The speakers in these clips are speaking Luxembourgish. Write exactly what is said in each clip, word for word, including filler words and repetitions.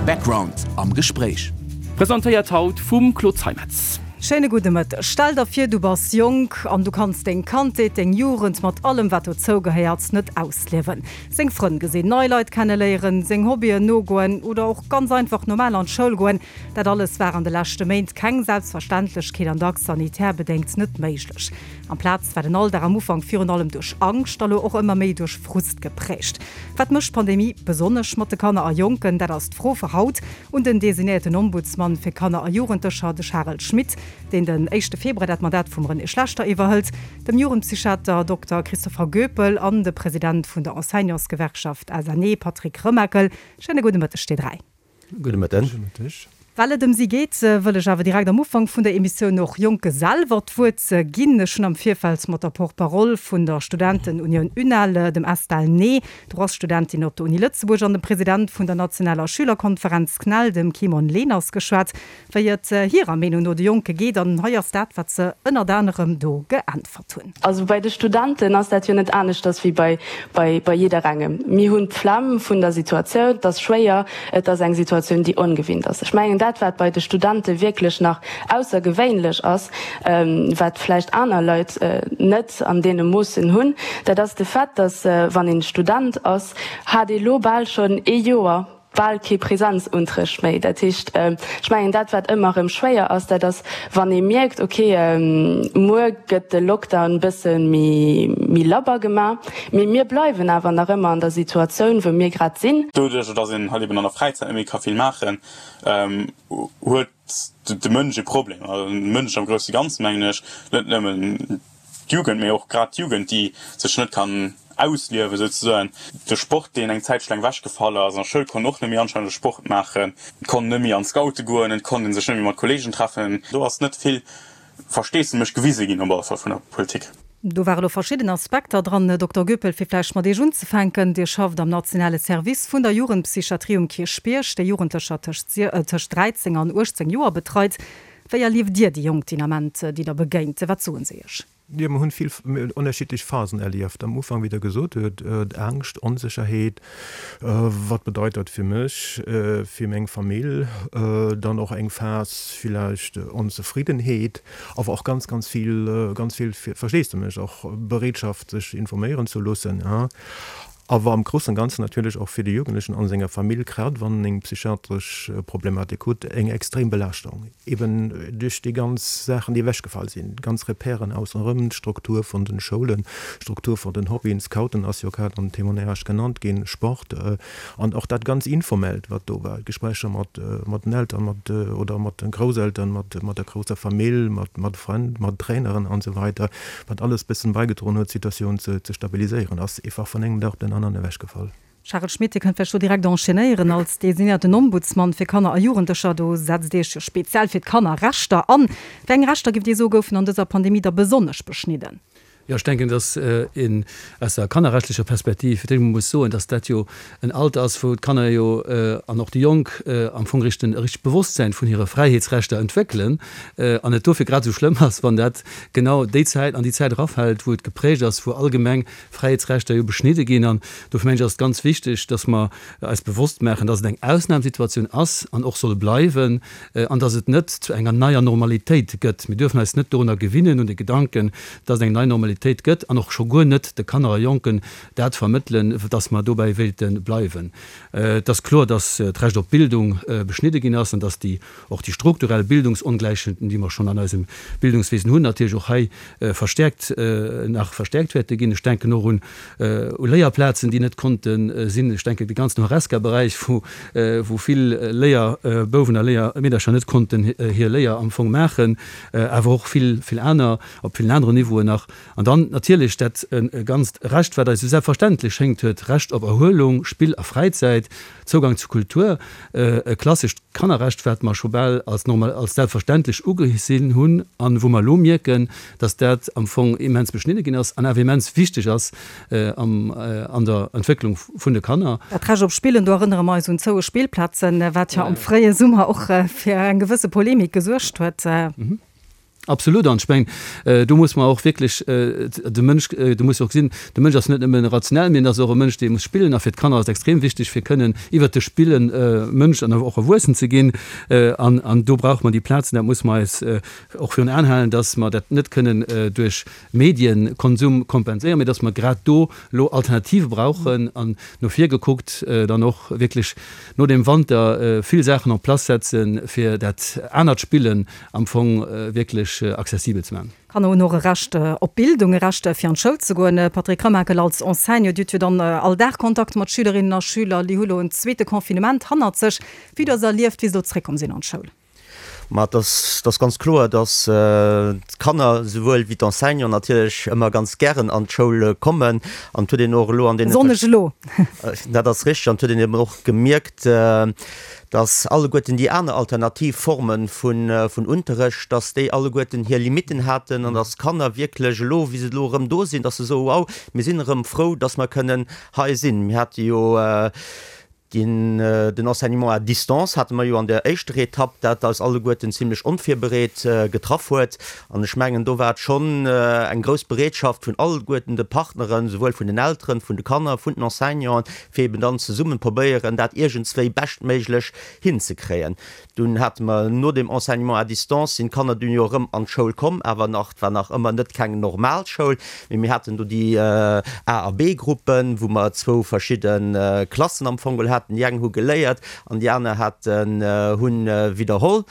Background am Gespréich. Presentéiert haut vum Claude Zeimetz. Schéine gudde Mëtteg. Stell der vir, du bass jonk an du kanns deng Kandheet, deng Jugend mat allem wat dozou gehéiert net ausliewen. Seng Frënn gesinn, nei Leit kenneléieren, seng Hobbyen nogoen oder och ganz einfach normal an d'Schoul goen, dat alles war an de leschte Méint keng Selbstverständlechkeet an dacks sanitär bedéngt net méiglech. Amplaz war den Alldag am Ufank virun allem duerch Angscht, a lo och ëmmer méi duerch Frust geprägt. Wat mécht d'Pandemie besonnesch mat de Kanner a Jonken? Dat ass d'Fro fir haut un den designéierten Ombudsman fir Kanner a Jugendlecher, de Charel Schmit, deen den éischte Februar dat Mandat vum René Schlechter iwwerhëlt, dem Jugendpsychiater Dokter Christopher Goepel an de President vun der Enseignantsgewerkschaft S N E Patrick Remakel. Schéine gudde Mëtteg, déi dräi. Gudde Mëtten. Gudde Mëtteg. Well et ëm si geet, wëll ech awer direkt am Ufank vun der Emissioun och Jonke selwer d'Wuert ginn. Ech hunn am Virfeld mat der Porte-parole vun der Studentenunioun UNEL, dem Estelle Ney, Droitsstudentin op der Uni Lëtzebuerg, an dem President vun der nationaler Schülerkonferenz CNEL, dem Kimon Leners, geschwat, wéi et hirer Meenung no de Jonke geet. An hei ass dat, wat se ënnert anerem do geäntwert hunn. Also bei de Studenten ass dat jo net aneschters wéi bei, bei, bei jidderengem. Mir hunn d'Flemm vun der Situatioun, et ass schwéier, et ass eng Situatioun, déi ongewinnt ass. Ech mengen, dat wat bei de Studente wierklech nach aussergewéinlech ass, wat vläicht aner Leit net an deene Moossen hunn, dat ass de Fait, dass wann een Student ass, hat ee lo bal schonn ee Joer bal kee Präsenzunterrecht méi. Dat heescht, ech mengen, dat wat ëmmer erëm schwéier ass, dat ass wann ee mierkt, okay, muer gëtt de Lockdown e bësse méi méi labber gemaach, mee mir bleiwen awer nach ëmmer an der Situatioun, wou mir grad sinn. Doduerch, dass een halt eben an der Fräizäit net méi ka vill maachen, huet de Mënsch e Problem. Also de Mënsch am grousse Ganzen, mengen ech, net nëmmen d'Jugend, mee och grad d'Jugend, déi sech net kann ausliewen souzesoen. De Sport, deen eng Zäitsch laang ewechgefall ass, an der Schoul konnt een och net méi anstännege Sport maachen, et konnt net méi an d'Scoute goen, et konnt ee sech net méi mat Kolleegen treffen. Do ass net vill Versteesdemech gewise ginn, op alle Fall vun der Politik. Do ware lo verschidden Aspekter dran. Dokter Goepel, fir vläicht mat Iech unzefänken, Dir schafft am nationale Service vun der Jugendpsychiatrie um Kierchbierg, dee Jugendlecher tëscht dräizéng an uechtzéng Joer betreit. Wéi erlieft Dir déi Jonk den Ament, déi Der begéint? Wat soen se Iech? Jo, mer hunn vill ënnerschiddlech Phasen erlieft. Am Ufank, wéi Der gesot hutt, Angscht, Onsécherheet, wat bedeit dat fir mech, fir meng Famill, dann och eng Phas villäicht Onzefriddenheet, awer och ganz, ganz vill, ganz vill Versteesdemech, och Bereetschaft sech informéieren ze loossen. Awer am groussen Ganzen natierlech och fir de Jugendlechen an senger Famill, grad wann en eng psychiatresch Problematik hutt, eng extrem Belaaschtung, eben duerch déi ganz Saachen, déi ewechgefall sinn, ganz Repèren ausserëm, d'Struktur vun den Schoulen, d'Struktur vun den Hobbyen, Scouten ass jo grad am Témoignage genannt ginn, Sport an och dat ganz Informellt, wat do war, Gespréicher mat mat den Eltern, mat oder mat den Grousseltern, mat mat der grousser Famill, mat mat Frënn, mat Traineren an esou weider, wat alles bëssen bäigedroen huet, d'Situatioun ze ze stabiliséieren, ass eefach vun engem Dag op den aneren ewechgefall. Charel Schmit, Dir kënnt vläicht do direkt enchaînéieren. Als designéierten Ombudsman fir Kanner a Jugendlecher, do setzt Dir Iech jo speziell fir d'Kannerrechter an. Wéi eng Rechter, giff Dir soen, goufen an dëser Pandemie da besonnesch beschnidden? Jo, ech denken, dass een aus der kannerrechtlecher Perspektiv fir d'éischt emol muss soen, dass dat jo en Alter ass, wou d'Kanner jo an och déi Jonk am Fong richten e richtegt Bewosstsäin vun hire Fräiheetsrechter entwéckelen an et dofir grad esou schlëmm ass, wann dat genau déi Zäit an déi Zäit erafält, wou et geprägt ass, wou allgemeng Fräiheetsrechter jo beschnidde ginn. An dofir mengen ech, ass et ganz wichteg, dass mer eis bewosst maachen, dass et eng Ausnamsituatioun ass an och soll bleiwen an dass et net zu enger neier Normalitéit gëtt. Mir duerfen eis net dorunner gewinnen, un de Gedanken, dass et eng nei Normalitéit gëtt an och scho guer net de Kanner a Jonken dat vermëttelen, dass mer dobäi wéilte bleiwen. Et ass kloer, dass d'Recht op Bildung beschnidde ginn ass an dass déi och déi strukturell Bildungsongläichheeten, déi mer schonn an eisem Bildungswesen hunn, natierlech och hei verstärkt, nach verstärkt wäerte ginn. Ech denken och un u Léierplazen, déi net konnte sinn. Ech denken de ganzen Horesca-Beräich, wou wou vill Léierbouwen a Léiermeedercher net konnten hir Léier am Fong maachen, awer och vill, vill aner op villen aneren Niveauen nach. An dann natierlech dat ganzt Recht, wat eis esou selbstverständlech schéngt, huet, Recht op Erhuelung, Spill a Fräizäit, Zougang zu Kultur, e klassescht Kannerrecht, wat mer scho bal als normal, als selbstverständlech ugesinn hunn an wou mer elo mierken, dass dat am Fong immens beschnidde ginn ass an awer immens wichteg ass am, an der Entwécklung vun de Kanner. Dat Recht op Spillen, do erënnere mer eis un zoue Spillplazen, wat jo am fréie Summer och fir eng gewësse Polemik gesuergt huet. Absolut, an ech mengen, do muss mer och wierklech de Mënsch, do muss och gesinn, de Mënsch ass net nëmmen rationell, mee en ass och e Mënsch, dee muss spillen. A fir d'Kanner ass et extrem wichteg, fir kënnen iwwert de Spillen Mënsch an och erwuessen ze ginn. An, an do brauche mer déi Plazen, dat muss mer eis och virun Aen halen, dass mer dat net kënnen duerch Medienkonsum kompenséieren, mee dass mer grad do elo Alternative brauchen an no vir gekuckt dann och wierklech no dem Wanter vill Saachen en place setzen, fir dat anert Spillen am Fong wierklech accessibel ze maachen. Kanner hunn och e Recht op Bildung, e Recht fir an d'Schoul ze goen. Patrick Remakel, als Enseignant, Dir hutt jo dann all Dag Kontakt mat Schülerinnen a Schüler, déi hu lo en zweete Confinement hannert sech. Wéi hutt Der se erlieft, wéi se elo zeréckkomm sinn an d'Schoul? Ma et ass ganz kloer, datt d'Kanner souwuel wéi d'Enseignanten natierlech ëmmer ganz gären an d'Schoul kommen. An et huet een och elo an deene. Besonnesch elo. Dat ass richteg. An et huet een eben och gemierkt, datt alleguerten déi aner alternativ Forme vun Unterrecht, datt déi alleguerten hir Limitten haten an datt d'Kanner wierklech elo, wéi se elo erëm do sinn, datt se soen, Wow, mir sinn erëm frou, datt mer kënnen hei sinn. Mir hate jo den Enseignement à distance hate mer jo an der éischter Etapp, dat eis alleguerten zimlech onvirbereet getraff huet. An ech mengen, do war et schonn eng grouss Bereetschaft vun alleguerten de Partneren, souwuel vun den Elteren, vun de Kanner, vun den Enseignanten, fir eben dann zesummen probéieren, dat iergendswéi beschtméiglech hinzekréien. Dunn hate mer no dem Enseignement à distance, sinn d'Kanner dunn jo erëm an d'Schoul komm, awer nach, et war nach ëmmer net keng normal Schoul, mee mir haten do déi A a B-Gruppen, wou mer zwou verschidde Klassen am Fong geholl haten. Déi eng hu geléiert an déi aner haten, hunn widderholl.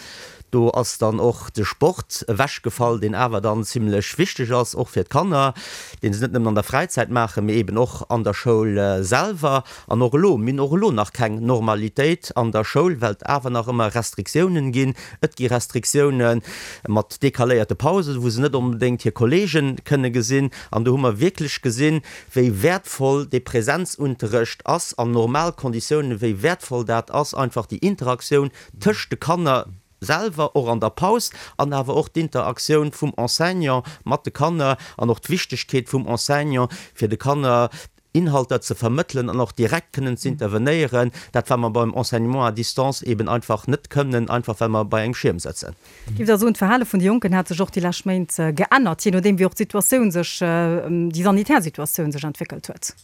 Do ass dann och de Sport ewechgefall, deen awer dann zimlech wichteg ass, och fir d'Kanner, deen se net nëmmen an der Fräizäit maachen, mee eben och an der Schoul selwer. An och elo, mir hunn och elo nach keng Normalitéit an der Schoul, well et awer nach ëmmer Restriktiounen ginn. Et gi Restriktioune mat decaléierte Pausen, wou se net onbedéngt hir Kolleege kënne gesinn. An do hu mer wierklech gesinn, wéi wäertvoll dee Präsenzunterrecht ass an normal Konditiounen, wéi wäertvoll dat ass, einfach déi Interaktioun tëscht de Kanner selwer, och an der Paus, an awer och d'Interaktioun vum Enseignant mat de Kanner an och d'Wichtegkeet vum Enseignant, fir de Kanner Inhalter ze vermëttelen an och direkt kënnen ze intervenéieren, dat wat mer beim Enseignement à distance eben einfach net kënnen, einfach well mer bei engem Schierm sëtzen. Giff Der soen, d'Verhale vun de Jonken hätt sech och déi lescht Méint geännert, jee nodeem wéi och d'Situatioun sech, déi sanitär Situatioun sech entwéckelt huet?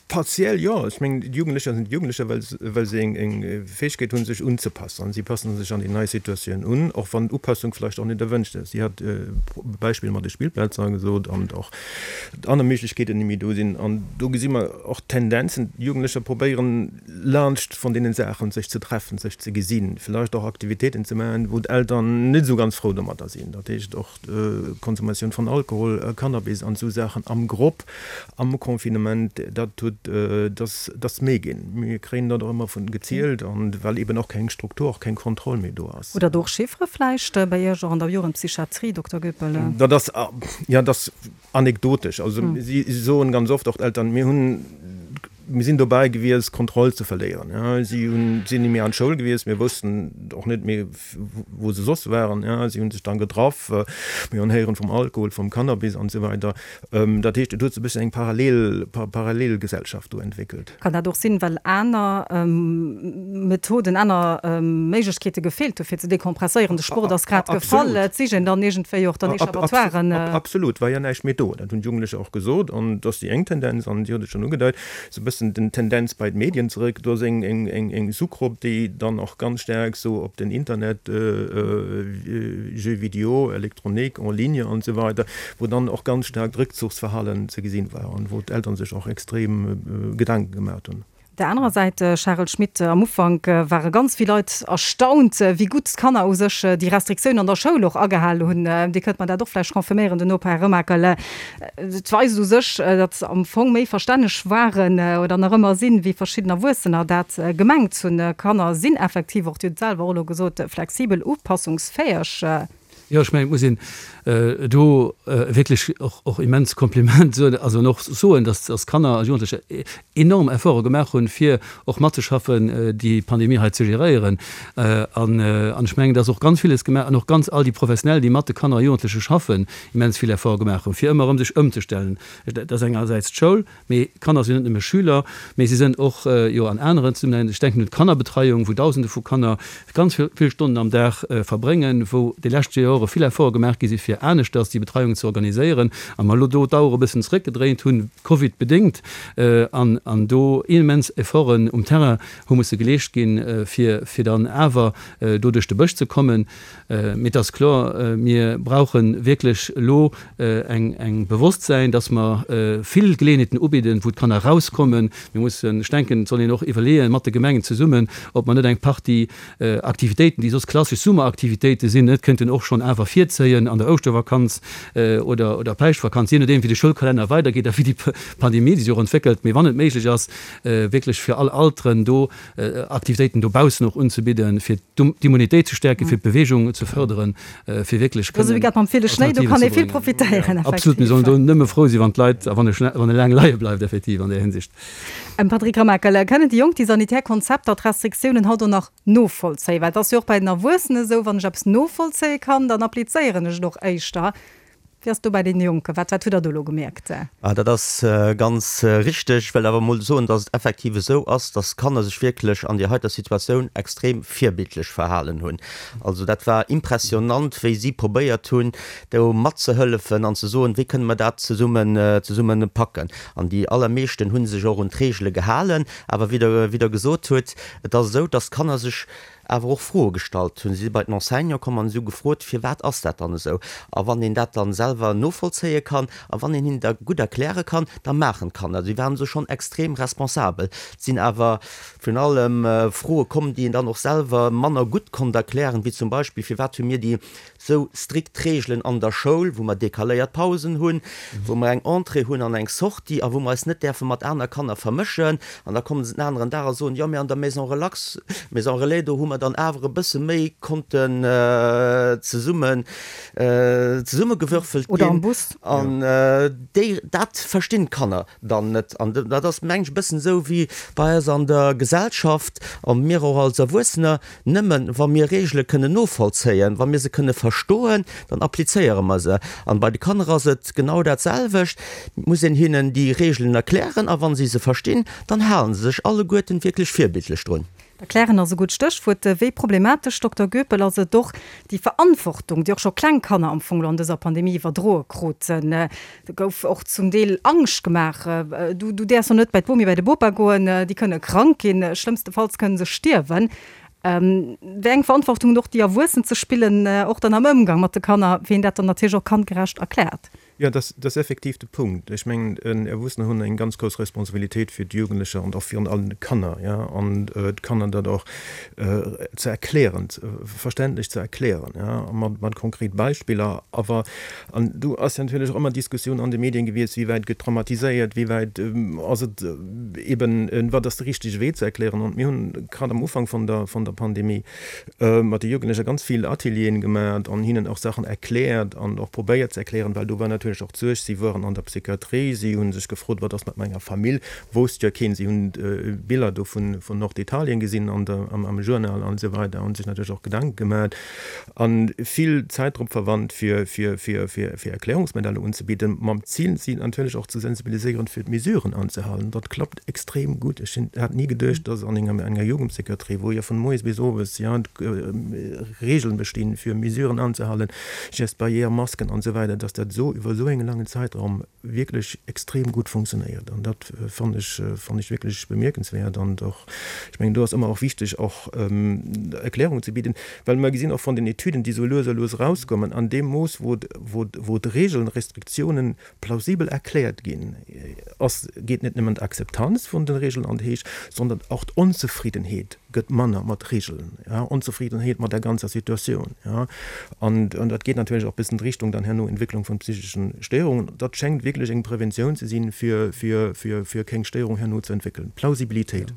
Partiell jo. Ech mengen, d'Jugendlecher sinn d'Jugendlecher, well well se eng eng Fäegkeet hunn, sech unzepassen. An si passen sech an déi nei Situatioun un, och wann d'Upassung vläicht och net erwënscht ass. Si hat Beispill mat de Spillplazen gesot an och aner Méiglechkeeten, déi méi do sinn. An do gesi mer och Tendenzen, d'Jugendlecher probéieren, laanscht von deenen Saachen sech ze treffen, sech ze gesinn, vläicht och Aktivitéiten ze maachen, wou d'Eltern net esou ganz frou domadder sinn. Dat heescht och D'Konsumatioun von Alkohol, Cannabis an esou Saachen am Grupp, am Confinement, dat huet, dat ass méi ginn. Mir kréien dat och ëmmer vun gezielt, an well eben och keng Struktur, och keng Kontroll méi do ass. Hutt Der do och Chiffere vläicht bei Iech och an der Jugendpsychiatrie, Dokter Goepel? Dat ass, jo, dat ass anekdotesch. Also si soen ganz oft, och d'Eltern, mir hunn, Mir sinn dobäi gewiescht, d'Kontroll ze verléieren. Si hunn, sinn ni méi an d'Schoul gewiescht. Mir woussten och net méi, wou se soss waren. Si hunn sech dann getraff. Mir hunn héieren vum Alkohol, vum Cannabis an esou weider. Dat heescht, et huet sech e bëssen eng Parallel, Parallelgesellschaft do entwéckelt. Kann dat och sinn, well aner Methoden, aner Méiglechkeete gefeelt hu fir ze dekompresséieren? De Sport ass grad gefall. Et sicht een dann iergendwéi och dann Echappatoiren. Absolut, war jo näischt méi do. Dat hunn d'Jugendlecher och gesot. An dat ass déi eng Tendenz. An Dir hutt et schonn ugedeit, sou e bëssen den Tendenz bei d'Medien zeréck. Do ass eng eng eng Sous-Grupp, déi dann och ganz staark sou op den Internet, Jeux vidéo, Elektronik, en ligne an esou weider, wou dann och ganz staark d'Réckzuchsverhalen ze gesinn war an wou d'Eltern sech och extrem Gedanken gemaat hunn. Op der anerer Säit, Charel Schmit, am Ufank ware ganz vill Leit erstaunt, wéi gutt d'Kanner u sech déi Restriktiounen an der Schoul och agehal hunn. Dir kënnt mer dat och vläicht confirméieren duerno, Här Remakel. Et weist u sech, datt se am Fong méi verstänneg waren oder nach ëmmer sinn, wéi verschidden Erwuessener dat gemengt hunn. Kanner sinn effektiv och, Dir hutt et selwer och elo gesot, flexibel, upassungsfäeg. Jo, ech mengen, et muss een do wierklech och och immens Kompliment soen, also an och soen, dass dass Kanner a Jugendlecher enorm Efforte gemaach hunn, fir och matzeschaffen, déi Pandemie hei ze geréieren. An an ech mengen, dass och ganz villes gemaach an och ganz all déi Professionell, déi mat de Kanner a Jugendleche schaffen, immens vill Efforte gemaach hunn, fir ëmmer erëm sech ëmzestellen. Dat ass engersäits d'Schoul, mee Kanner sinn net nëmme Schüler, mee si sinn och jo an aneren Zesummenhängen, ech denken un d'Kannerbetreiung, wou Dausende vu Kanner ganz vill Stonnen am Dag verbréngen, wou déi lescht Jore vill Efforte gemaach gi si fir aneschters déi Betreiung ze organiséieren a mer elo do d'Auer e bëssen zeréckgedréint hunn, Covid bedéngt, an an do immens Efforten um Terrain hu musse geleescht ginn, fir fir dann awer do duerch de Bësch ze kommen. Mee et ass kloer, mir brauche wierklech elo eng eng Bewosstsäin, dass mer vill Geleeënheeten ubidden, wou d'Kanner erauskommen. Mir mussen, ech denken, et soll een och iwwerleeën, mat de Gemengen zesummen, ob mer net eng Partie Aktivitéiten, déi soss klassesch Summeraktivitéite sinn, net kënnten och schonn awer virzéien an der Ouschtervakanz oder oder Päischtvakanz, jee nodeem wéi de Schoulkalenner weidergeet a wéi déi Pandemie sech och entwéckelt. Mee wann et méiglech ass, wierklech fir all Alteren do Aktivitéiten dobaussen och unzebidden, fir d'Immunitéit ze stäerken, fir d'Beweegung ze fërderen, fir wierklech kënnen Alternativen ze bréngen. Absolut, mir sollen do nëmme frou sinn, wann d'Leit a wann e laang leie bleift, effektiv an där Hinsicht. Patrick Remakel, Kënnen déi Jonk déi sanitär Konzepter, d'Restriktiounen haut och nach novollzéien? Well et ass jo och bei den Erwuessenen esou, wann ech eppes novollzéie kann, dann applizéieren ech et och éischter. Wéi ass et do bei deene Jonken? Wat wat hutt Der do elo gemierkt? Ah, dat ass ganz richteg. Ech wëll awer emol soen, dass et effektiv esou ass, dass d'Kanner sech wierklech an där heiter Situatioun extrem virbildlech verhalen hunn. Also dat war impressionant, wéi si probéiert hunn, do matzehëllefen an ze soen, wéi kënne mer dat zesummen zesummen packen. An déi allermeeschten hu sech och un d'Reegele gehalen. Awer wéi Der wéi Der gesot hutt, et ass esou, dass d'Kanner sech awer och Froe gestallt hunn. Si si bei den Enseignant komm an si hu gefrot, Firwat ass dat dann esou? A wann een dat dann selwer novollzéie kann a wann een hinnen dat gutt erkläre kann, da maachen d'Kanner. Si waren esou schonn extrem responsabel. Et sinn awer virun allem Froe komm, déi een dann och selwer manner gutt konnt erklären, wéi zum Beispill, Firwat hu mir déi sou strikt Reegelen an der Schoul, wou mer decaléiert Pausen hunn, wou mer eng Entrée hunn an eng Sortie a wou mer eis net däerfe mat aner Kanner vermëschen. An da kommen se den aneren Dag a soen, jo, mee an der Maison relax, Maison relais, do hu mer dann awer e bësse méi konnten zesummen, zesummegewürfelt ginn. Oder am Bus. An déi, dat verstinn d'Kanner dann net. An dat ass, mengen ech, e bëssen esou wéi bei eis an der Gesellschaft a mir och als Erwuessener, Nëmmen wa mir Reegele kënnen novollzéien, wa mir se kënne verstoen, dann applizéiere mer se. An bei de Kanner ass et genau dat selwecht, Et muss een hinnen déi Reegelen erklären a wa si se verstinn, dann hale se sech alleguerten wierklech virbildlech drun. Erklären ass e gutt Stéchwuert. Wéi problematesch, Dokter Goepel, ass et och déi Verantwortung, déi och scho kleng Kanner am Fong elo an dëser Pandemie iwwerdroe kruten? Do gouf och zum Deel Angscht gemaach, Du, du däerfs och net bei d'Bomi, bei de Bopa goen, déi kënne krank ginn, schlëmmstefalls kënne se stierwen. Wéi eng Verantwortung hunn och déi Erwuessen ze spillen, och dann am Ëmgang mat de Kanner, wéi een dat dann natierlech och kandgerecht erkläert? Jo, dat ass effektiv de Punkt. Ech mengen, Erwuessener hunn eng ganz grouss Responsabilitéit fir d'Jugendlecher an och virun allem d'Kanner, jo, an d'Kanner dat och ze erklären, verständlech ze erklären, jo, mat, mat konkret Beispiller. Awer, an do ass jo natierlech och ëmmer d'Diskussioun an de Medien gewiescht, wéi wäit gëtt dramatiséiert, wéi wäit ass et eben, wat ass de richtege Wee ze erklären. An mir hunn grad am Ufank vun der, vun der Pandemie mat de Jugendlecher ganz vill Atelieren gemaat an hinnen och Saachen erkläert an och probéiert ze erklären, well do war natierlech och d'Suerg, si woaren an der Psychiatrie, si hu sech gefrot, wat ass mat menger Famill, wousst jo keen, si hunn Biller do vun Norditalien gesinn an der, am Journal an esou weider, hu sech natierlech och Gedanke gemaat an vill Zäit drop verwannt fir, fir, fir, fir, fir Erklärungsmodeller unzebidden, mam Zil si natierlech och ze sensibiliséieren fir d'Mesuren anzehalen. Dat klappt extrem gutt. Ech hat ni geduecht, dass an enger, enger Jugendpsychiatrie, wou jo vun moies bis owes, jo, Regeln bestinn, fir Mesuren anzehalen, Gestes barrières, Masken an esou weider, dass dat esou iwwer esou engen laangen Zäitraum wierklech extrem gutt funktionéiert. An dat fannen ech, fannen ech wierklech bemierkenswäert. An och, ech mengen, do ass ëmmer och wichteg, och Erklärungen ze bidden, well mer gesinn och von den Etüden, déi esou lues a lues erauskommen, an deem Mooss, wou, wou, wou d'Regeln, Restriktiounen plausibel erkläert ginn, ass, geet net nëmmen d'Akzeptanz vun de Regeln an d'Héicht, sondern och d'Onzefriddenheet gëtt manner mat Regeln, ja, Onzefriddenheet mat der ganzer Situatioun, ja. An, an dat geet natierlech och bis an d'Richtung dann herno Entwécklung vun psycheschen Stéierungen. Dat schéngt wierklech eng Preventioun ze sinn, fir, fir, fir, fir keng Stéierung herno ze entwéckelen. Plausibilitéit.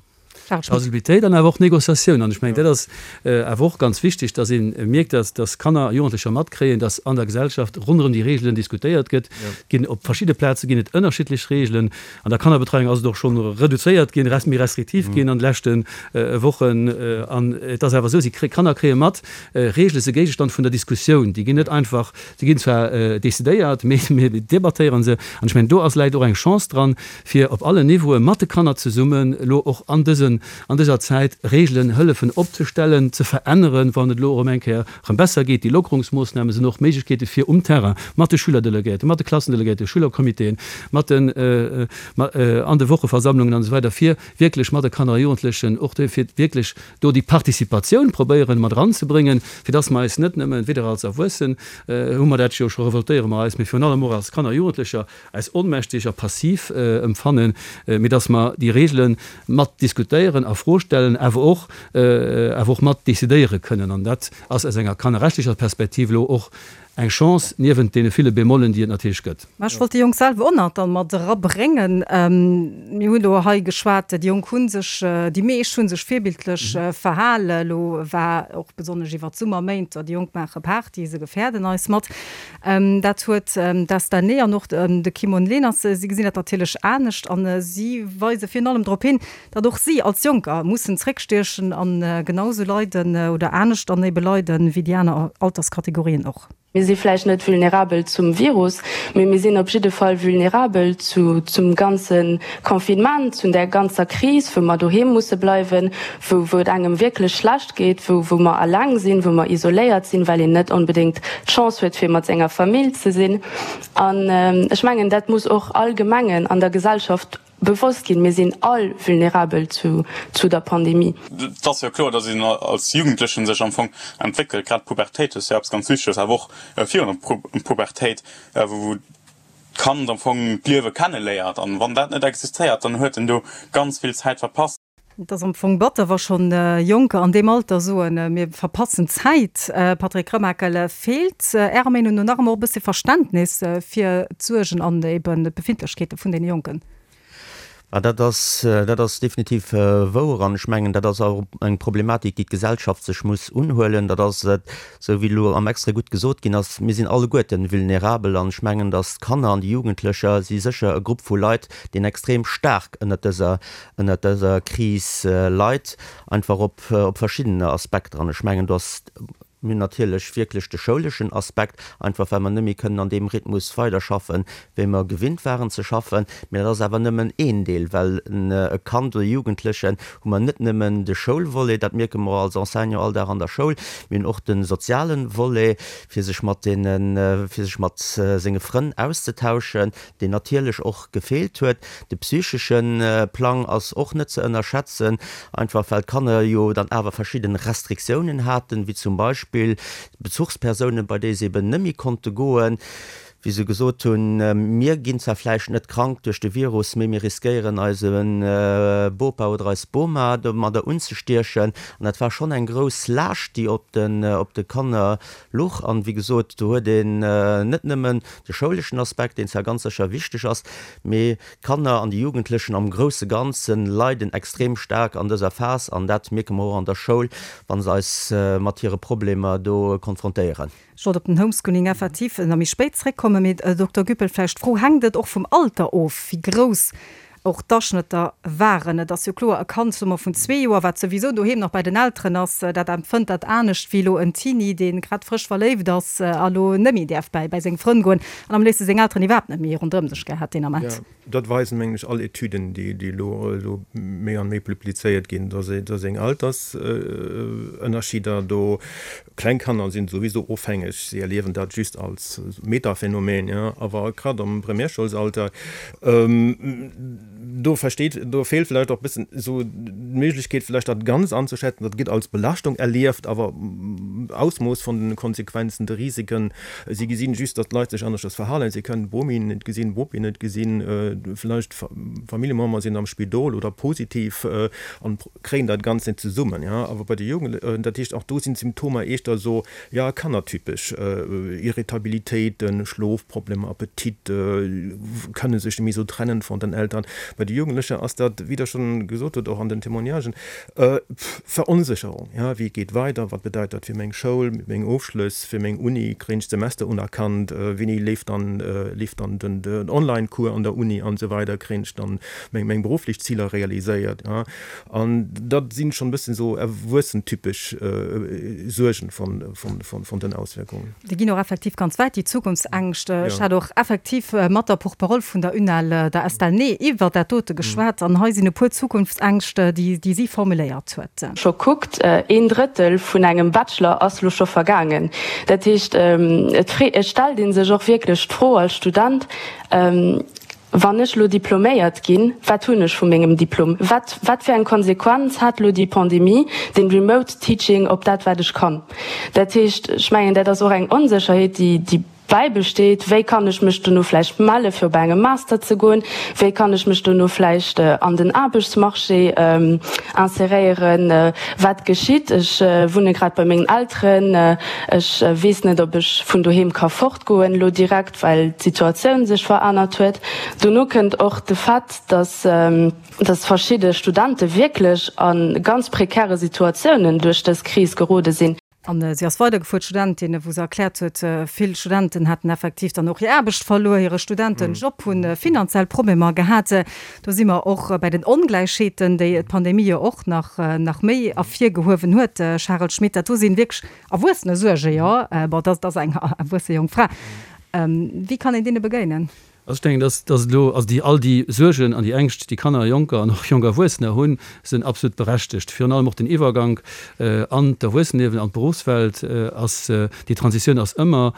Plausibilitéit an awer och Négociatioun. An ech mengen, dat ass awer och ganz wichteg, dass ee mierkt, dass, dass Kanner a Jugendlecher matkréien, dass an der Gesellschaft ronderëm déi Regeln diskutéiert gëtt. Ginn op verschidde Plaze ginn et ënnerschiddlech Regeln. An der Kannerbetreiung ass et och schonn reduzéiert ginn, resp. Méi restriktiv ginn an de leschte Wochen. An et ass awer esou, si kréien, d'Kanner kréie mat, Reegele si Géigestand vun der Diskussioun. Déi ginn net einfach, se ginn zwar decidéiert, mee mir debattéiere se. An ech mengen, do ass, läit och eng Chance dran, fir op allen Niveaue mat de Kanner zesummen elo och an dësen, an dëser Zäit Reegelen hëllefen opzestellen, ze veränneren, wann et elo erëm eng Kéier erëm besser geet. Déi Lockerungsmoossname sinn och Méiglechkeete fir um Terrain mat de Schülerdelegéierten, mat de Klassendelegéierten, Schülercomitéen, mat den, an de Wocheversammlungen an esou weider fir wierklech mat de Kanner a Jugendlechen och do fir wierklech do déi Participatioun probéieren mat eranzebréngen, fir dass mer eis net nëmmen, weder als Erwuessen hu mer dat jo scho, revoltéiere mer eis, mee virun allem och als Kanner a Jugendlecher eis onmächtig a passiv empfannen, mee dass mer déi Regele mat diskutéieren, a Fro stellen, awer och awer och mat decidéiere kënnen. An dat ass aus enger kannerrechtlecher Perspektiv elo och eng Chance, niewent deene ville Bémollen, déi et natierlech gëtt. Mä ech wollt déi Jonk selwer och nach dann mat erabréngen. Mir hunn elo hei geschwat, déi Jonk hu sech, déi meescht hu sech virbildlech verhalen. Elo war och besonnesch iwwert d'Summerméint, déi Jonk maache Party, se gefäerden eis mat. Dat huet d'Esther Ney an och de Kimon Leners, si gesinn dat natierlech anescht a si weise virun allem drop hin, datt och si als Jonker mussen zréckstiechen a genau sou leiden oder anescht dann ebe leiden, wéi déi aner Alterskategorien och. Mir si vläicht net vulnerabel zum Virus, mee mir sinn op jidde Fall vulnerabel zu, zum ganze Confinement, zu där ganzer Kris, wou mer doheem musse bleiwen, wou, wou et engem wierklech schlecht geet, wou, wou mer eleng sinn, wou mer isoléiert sinn, well een net onbedéngt d'Chance huet, fir mat senger Famill ze sinn. An ech mengen, dat muss och allgemengen an der Gesellschaft bewosst ginn, mir sinn all vulnerabel zu, zu der Pandemie. Et ass jo kloer, datt een als Jugendlechen sech am Fong entwéckelt. Grad d'Pubertéit ass jo eppes ganz Wichteges, awer och virun der Pubertéit, wou d'Kand am Fong d'Liewe kenneléiert. An wann dat net existéiert, dann huet en do ganz vill Zäit verpasst. Et ass am Fong batter, wa schonn Jonker an deem Alter soen, mir verpassen Zäit. Patrick Remakel, feelt Ärer Meenung no nach ëmmer och e bësse Verständnis fir d'Suergen an eben d'Befindlechkeete vun deene Jonken? Dat ass, dat ass definitiv wouer an ech mengen, dat ass och eng Problematik, déi d'Gesellschaft sech muss unhuelen. Dat ass et, esou wéi elo am Extrait gutt gesot ginn ass, mir sinn alleguerten vulnerabel an ech mengen, datt d'Kanner an déi Jugendlecher si sécher e Grupp vu Leit, deen extrem staark ënnert dëser, ënnert dëser Kris leit, einfach op, op verschiddene Aspekter. An ech mengen, do ass, mir hunn natierlech wierklech de schouleschen Aspekt, einfach well mer net méi kënnen an deem Rhythmus weiderschaffen, wéi mer gewinnt waren ze schaffen. Mä dat ass awer nëmmen een Deel, well e Kand oder e Jugendlechen hu mer net nëmmen de Schoulvolet, dat mierke mer als Enseignant all Dag an der Schoul, mir hunn och de soziale Volet, fir sech mat deene, fir sech mat senge Frënn auszetauschen, deen natierlech och gefeelt huet. De psychesche Plang ass och net ze ënnerschätzen, einfach well d'Kanner jo dann awer verschidde Restriktiounen haten, wéi zum Beispill Bezuchspersounen, bei déi se eben net méi konnte goen, wéi se gesot hunn, Mir ginn zwar vläicht net krank duerch de Virus, mee mir riskéieren eise Bopa oder eis Boma domadder unzestiechen. An dat war schonn eng grouss Laascht, déi op de Kanner luch. An, wéi gesot, do huet een net nëmmen de schouleschen Aspekt, deen zwar ganz sécher wichteg ass, mee d'Kanner an déi Jugendlechen am grousse Ganze leiden extrem staark an dëser Phas an dat mierke mer och an der Schoul, wa se eis mat hire Problemer do konfrontéieren. Ech wollt op den Homeschooling effektiv nach méi spéit zréckkommen, mee Dokter Güppel, vläicht d'Fro, Hänkt et och vum Alter of, wéi grouss och d'Aschnëtter waren? Et ass jo kloer, e Kand, soe mer, vun zwee Joer, wat souwisou doheem nach bei den Elteren ass, dat empfënnt dat anescht wéi elo en Teenie, dee grad frësch verléift ass a lo net méi däerf bäi bäi seng Frënn goen an am léifste seng Elteren iwwerhaapt net méi ronderëm sech gär hätt deen Ament. Dat weisen, mengen ech, all Etüden, déi déi elo elo méi an méi publizéiert ginn, dass dass eng Altersënnerscheeder do, kleng Kanner sinn souwisou ofhängeg, si erliewen dat just als Metaphänomen, jo, awer grad am Primärschoulsalter, do versteet, do feelt vläicht och e bëssen esou d'Méiglechkeet vläicht dat ganz anzuschätzen. Dat gëtt als Belaschtung erlieft, awer Ausmooss vun den Konsequenzen, de Risiken, si gesinn just, datt d'Leit sech aneschters verhalen, si kënnen d'Bomi net gesinn, d'Bopi net gesinn, vläicht Familljemember sinn am Spidol oder positiv an kréien dat Ganzt net zesummen, ja. Awer bei de Jugendlechen, dat heescht och do sinn d'Symptomer éischter esou, ja, kannertypesch, Irritabilitéiten, Schlofproblemer, Appetit, kënne sech net méi esou trennen von den Eltern. Bei de Jugendleche ass dat, wéi Der schonn gesot hutt, och an den Témoignagen, Veronsécherung, ja, wéi geet weider, wat bedeit dat fir meng Schoul, meng Ofschlëss, fir meng Uni, kréien ech d'Semester unerkannt, wéini leeft dann, leeft dann den, den Online-Cours an der Uni an esou weider, kréien ech dann meng, meng berufflech Ziler realiséiert, ja. An dat sinn schonn e bëssen esou erwuessentypesch Suergen von, von, von, von den Auswirkungen. Déi ginn och effektiv ganz wäit, déi Zukunftsängscht. Ech hat och effektiv mat der Porte-parole vun der UNEL, der Estelle Ney, iwwert dat dote geschwat an hei sinn e puer Zukunftsängscht, déi, déi si formuléiert huet. Scho kuckt, een Drëttel vun engem Bachelor ass lo scho vergaangen. Dat heescht, et et stellt ee sech och wierklech d'Fro als Student, Wann ech lo diploméiert ginn, wat hunn ech vu mengem Diplom? Wat, wat fir eng Konsequenz hat lo déi Pandemie, den Remote Teaching op dat, wat ech kann? Dat heescht, ech mengen, dat ass och eng Onsécherheet, déi, déi bäibesteet, Wéi kann ech mech dono vläicht melle fir op engem Master ze goen? Wéi kann ech mech dono vläicht an den Aarbechtsmarché inseréieren? Wat geschitt? Ech wunne grad bei mengen Elteren. Ech weess net, ob ech vun doheem ka fortgoen elo direkt, well d'Situatioun sech verännert huet. Dono kënnt och de Fait, dass dass verschidde Studente wierklech a ganz prekäre Situatiounen duerch dës Kris gerode sinn. An si ass weidergefuer, d'Studentin, wou se erkläert huet, vill Studenten hätten effektiv dann och hir Aarbecht verluer, hire Studentenjob, hunn finanziell Problemer gehat. Do si mer och bei den Ongläichheeten, déi d'Pandemie jo och nach nach méi ervirgehuewen huet. Charel Schmit, dat do sinn wierklech erwuessene Suergen, jo? Bon, dat ass eng erwuesse jonk Fra. Wéi kann een deene begéinen? Also ech denken, dass dass elo, also déi all déi Suergen an déi Ängscht, déi Kanner a Jonker an och jonk Erwuessener hunn, sinn absolut berechtegt. Virun allem och den Iwwergank an d'Erwuesseneliewen, an d'Beruffswelt ass, déi Transitioun ass ëmmer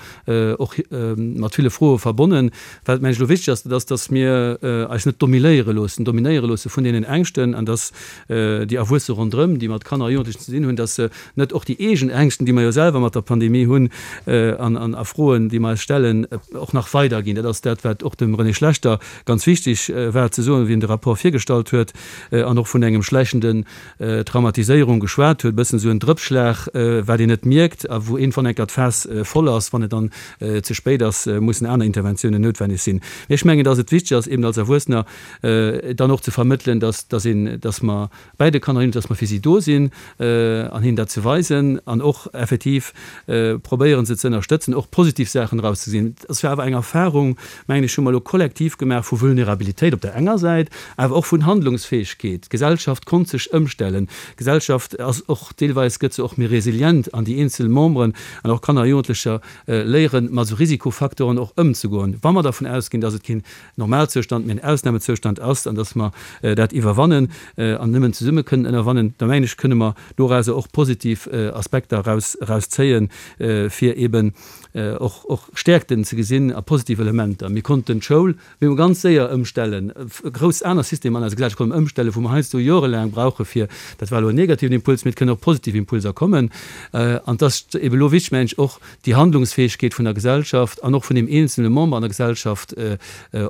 och mat ville Froe verbonnen. Wat, mengen ech, elo wichteg ass, dat ass, dass mir eis net domiléiere loossen, dominéiere loosse vun deenen Ängschten an dass déi Erwuesse ronderëm, déi mat Kanner a Jugendlechen ze dinn hunn, dass se net och déi eegen Ängschten, déi mer jo selwer mat der Pandemie hunn an a Froen, déi mer eis stellen, och nach weiderginn. Dat ass dat, wat och dem René Schlechter ganz wichteg war ze soen, wéi en de Rapport virgestallt huet an och vun engem schläichenden Traumatiséierung geschwat huet, e bëssen esou en Drëppschlag, wat een net mierkt a wou iergendwann enker d'Faass voll ass. Wann et dann ze spéit ass, mussen aner Interventiounen noutwenneg sinn. Mee ech mengen, dass et wichteg ass, eben als Erwuessener dann och ze vermëttelen, dass, dass een, dass mer bäi de Kanner sinn, dass mer fir si do sinn an hinnen dat ze weisen an och effektiv probéieren, se ze ënnerstëtzen, och positiv Saachen erauszegesinn. Et ass jo awer eng Erfahrung, mengen ech, hu mer elo kollektiv gemaach vu Vulnerabilitéit op der enger Säit, awer och vun Handlungsfäegkeet. D'Gesellschaft konnt sech ëmstellen. D'Gesellschaft ass och, deelweis gëtt se och méi resilient an déi eenzel Memberen an och Kanner a Jugendlecher léieren, mat esou Risikofacteuren och ëmzegoen. Wa mer dervun ausginn, dass et keen Normalzoustand, mee en Ausnamezoustand ass an dass mer dat iwwerwannen an nëmmen zesumme kënnen ënnerwannen, da mengen ech, kënne mer dorauser och positiv Aspekter eraus, erauszéien, fir eeben och, och Stäerkten ze gesinn a positiv Elementer. Mir konnten d'Schoul mir hu ganz séier ëmstellen, grouss aner Systemer an eiser Gesellschaft konnte mer ëmstellen, wou mer heiansdo jorelaang brauche fir, dat war elo en negativen Impuls, mee et kënnen och positiv Impulser kommen. An et ass eeben elo wichteg, mengen ech, och déi Handlungsfäegkeet vun der Gesellschaft an och vun deem eenzelne Member an der Gesellschaft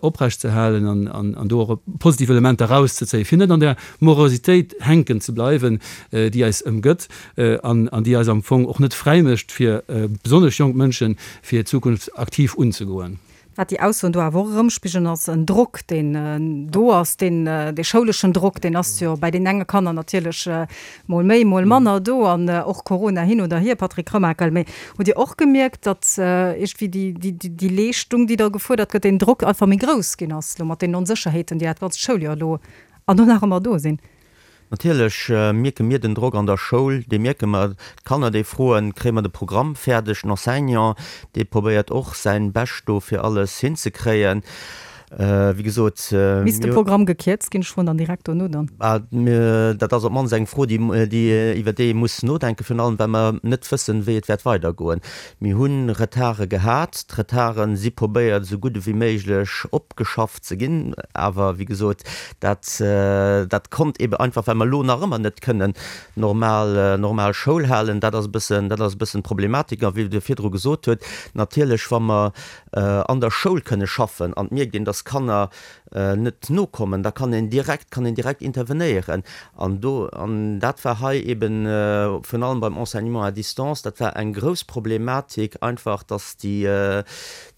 oprecht ze halen an do och positiv Elementer erauszezéien, fir net an där Morositéit hänken ze bleiwen, déi eis ëmgëtt an déi eis am Fong och net fräi mécht, fir besonnesch jonk Mënschen, fir hir Zukunft aktiv unzegoen. Wat déi Aussoen do awer och erëmspigelen, ass en Drock, deen do ass, deen, dee schouleschen Drock, deen ass jo bei deenen enge Kanner natierlech mol méi, mol manner do an och Corona hin oder hier, Patrick Remakel. Mee hutt Dir och gemierkt, datt iergendwéi déi, déi, déi Leeschtung, déi da gefuerdert gëtt, deen Drock einfach méi grouss ginn ass elo mat deenen Onsécherheeten, déi dat ganzt Schouljoer elo an och nach ëmmer do sinn? Natierlech mierke mir den Drock an der Schoul, dee mierke mer. D'Kanner, déi froen, Kréie mer de Programm fäerdeg? Den Enseignant, dee probéiert och säin Bescht do fir alles hinzekréien. Wéi gesot, Misst de Programm gekierzt ginn? Ech froen dann direkt dono dann. Dat ass op d'mannst eng Fro, déi, iwwer déi ee muss nodenken, virun allem well mer net wëssen, wéi et wäert weidergoen. Mir hu Retarde gehat. D'Retarde si probéiert, esou gutt ewéi méiglech opgeschafft ze ginn. Awer, wéi gesot, dat, dat konnt eebe einfach, well mer elo nach ëmmer net kënnen normal, normal Schoul halen. Dat ass e bëssen, dat ass e bëssen d'Problematik. A wéi Der virdru gesot hutt, natierlech, wa mer an der Schoul kënne schaffen an et mierkt een, dass dass Kanner net nokommen, da kann een direkt, kann een direkt intervenéieren. An do, an dat war hei eben virun allem beim Enseignement à distance, dat war eng grouss Problematik einfach, dass déi,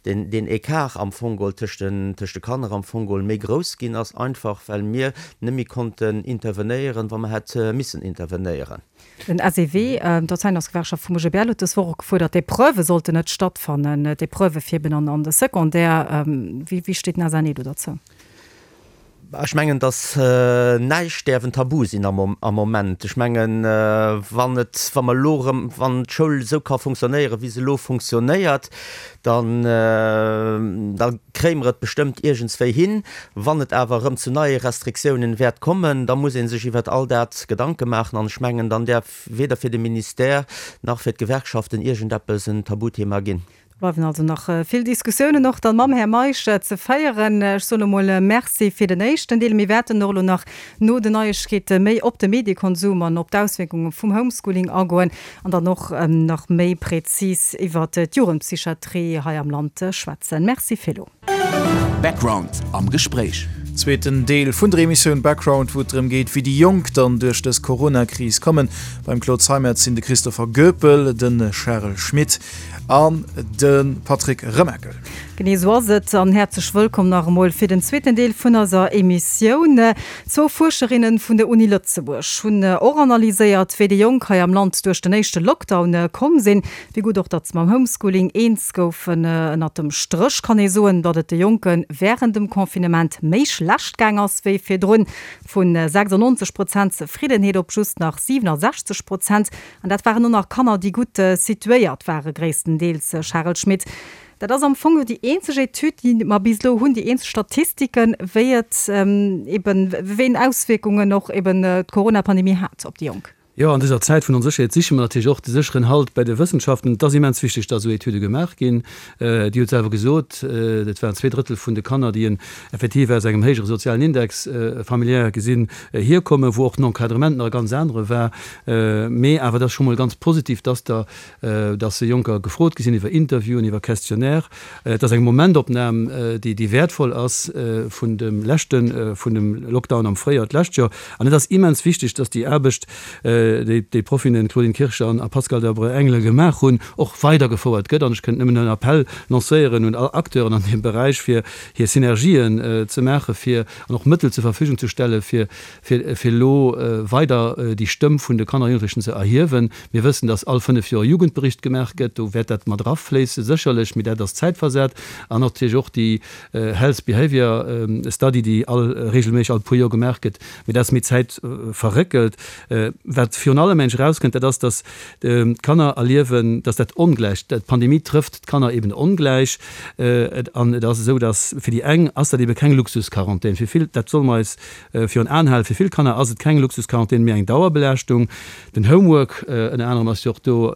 deen, deen Écart am Fong geholl tëscht den, tëscht de Kanner am Fong geholl méi grouss ginn ass, einfach well mir net méi konnten intervenéieren, wa mer hätte missen intervenéieren. Den SEW, d'Enseignantsgewerkschaft vum OGBL, huet dës Woch och gefuerdert, d'Epreuvë sollten net stattfannen, d'Epreuvë fir eben an de Secondaire. Wéi steet den SNE do derzou? Ech mengen, datt näischt däerf en Tabu sinn am Moment. Ech mengen, wann et, wa mer elo erëm, wann d'Schoul esou ka funktionéieren, wéi se elo funktionéiert, dann, da kréie mer et bestëmmt iergendswéi hin. Wann et awer erëm zu neie Restriktiounen wäert kommen, da muss ee sech iwwert all dat Gedanke maachen. An ech mengen, dann däerf weder fir de Ministère nach fir d'Gewerkschaften iergendeppes en Tabuthema ginn. Do bleiwen also nach vill Diskussiounen och dann mam Här Meisch ze féieren. Ech soen emol Merci fir den éischten Deel. Mir wäerten och elo nach no den Neiegkeete méi op de Mediekonsum an op d'Auswierkunge vum Homeschooling agoen an dann och nach méi prezis iwwert d'Jugendpsychiatrie hei am Land schwätzen. Merci fir elo. Background am Gespréich. Zweeten Deel vun der Emissioun Background, wou et drëm geet, wéi déi Jonk dann duerch dës Corona-Kris kommen. Beim Claude Zeimetz sinn de Christopher Goepel, de Charel Schmit an de Patrick Remakel. Genee esou ass et an häerzlech wëllkomm nach emol fir den zweeten Deel vun eiser Emissioun. Zwou Fuerscherinnen vun der Uni Lëtzebuerg hunn och analyséiert, wéi déi Jonk hei am Land duerch den éischte Lockdown komm sinn. Wéi gutt och, datt se mam Homeschooling eens goufen. Ënnert dem Stréch kann ee soen, datt et de Jonke wärend dem Confinement méi schlecht gaang ass wéi virdrun. Vu sechsundneunzeg Prozent Zefriddenheet op just nach siewenundsechzeg Prozent. An dat waren och nach Kanner, déi gutt situéiert ware gréisstendeels. Charel Schmit, dat ass am Fong jo déi eenzeg Etüd, déi mer bis elo hunn, déi eenzeg Statistiken, wéi et eben, wéi eng Auswierkungen och eben d'Corona-Pandemie hat op déi Jonk. Jo, an dëser Zäit vun Onsécherheet siche mer natierlech och de sécheren Halt bei de Wëssenschaften. Et ass immens wichteg, datt esou Etüde gemaach ginn. Dir hutt selwer gesot, et waren zwee Drëttel vun de Kanner, déi en effektiv aus engem héijere sozialen Index familiär gesinn hierkommen, wou och den Encadrement nach e ganz anere war. Mee awer et ass scho mol ganz positiv, datt der, datt Jonker gefrot gi sinn iwwer Interviewen, iwwer Questionnaire. Et ass eng Momentopnam, déi, déi wäertvoll ass vun dem leschte, vun dem Lockdown am Fréijoer d'lescht Joer. An et ass immens wichteg, datt déi Aarbecht, déi d'Profinnen Claudine Kircher an Pascale Delbreu-Engelen gemaach hunn, och weidergefouert gëtt. An ech kënnt nëmmen en Appell lancéieren un all Acteuren an deem Beräich, fir hir Synergien ze maachen, fir an och Mëttel zur Verfügung ze stellen, fir fir elo weider déi Stëmm vun de Kanner a Jugendlechen ze erhiewen. Mir wëssen, dass all fënnef Joer e Jugendbericht gemaach gëtt. Do wäert dat mat erafléissen, sécherlech, mee dat ass zäitversat. An natierlech och déi Health Behavior Study, déi all regelméisseg all puer Joer gemaach gëtt, mee dat ass méi zäitverréckelt. Wat virun allem mensch erauskënnt, dat ass, dass d'Kanner erliewen, dass dat ongläich, d'Pandemie trëfft d'Kanner eben ongläich. An et ass esou, dass fir déi eng ass dat ebe keng Luxusquarantän, fir vill, dat solle mer eis virun Aen halen, fir vill Kanner ass et keng Luxusquarantän, mee eng Dauerbelaaschtung. Den Homework ënner anerem ass jo och do,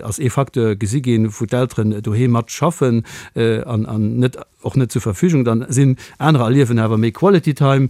ass ee Facteur gesi ginn, wou d'Elteren doheem mat schaffen an net, och net zur Verfügung dann sinn. Anerer erliewen awer méi Quality Time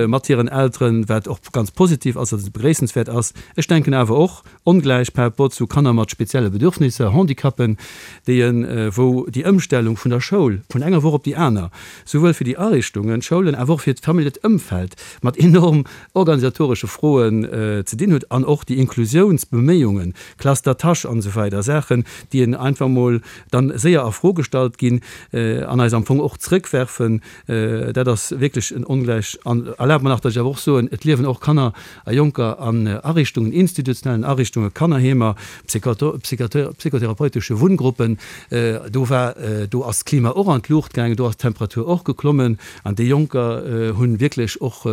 mat hiren Elteren, wat och ganz positiv ass, also begréissenswäert ass. Ech denken awer och ongläich par rapport zu Kanner mat spezielle Bedürfnisser, Handicapen, déi en, wou déi Ëmstellung vun der Schoul vun enger Woch op déi aner, souwuel fir déi Ariichtungen, d'Schoulen, awer och fir d'familljet Ëmfeld mat enorm organisatoresche Froen ze dinn huet an och déi Inklusiounsbeméiungen, Classe d'attache an esou weider, Saachen, déi en einfach mol dann séier a Fro gestallt ginn an eis am Fong och zrëckwerfen. Dat ass wierklech en Ongläich. An erlaabt mer nach, datt ech awer och soen, et liewen och Kanner a Jonker an Ariichtungen, institutionellen Ariichtungen, Kannerheemer, psychotherapeutische Wunngruppen. Do war, do ass d'Klima och an d'Luucht gaangen, do ass d'Temperatur och geklommen an déi Jonker hunn wierklech och,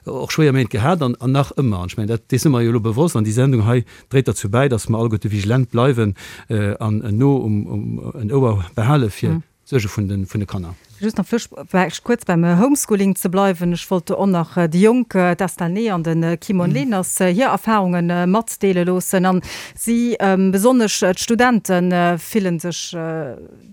och schwéier Méint gehat an nach ëmmer. An ech mengen, dat, dees si mer jo elo bewosst an déi Sendung hei dréit derzou bäi, datt mer alleguerte vigilant bleiwen an en No um, en Ouer behale fir d'Suerge vun de, vun de Kanner. Just nach vläicht kuerz beim Homeschooling ze bleiwen. Ech wollt och nach déi Jonk, d'Estelle Ney an de Kimon Leners, hir Erfarunge matdeele loossen. An si, besonnesch d'Studente fillen sech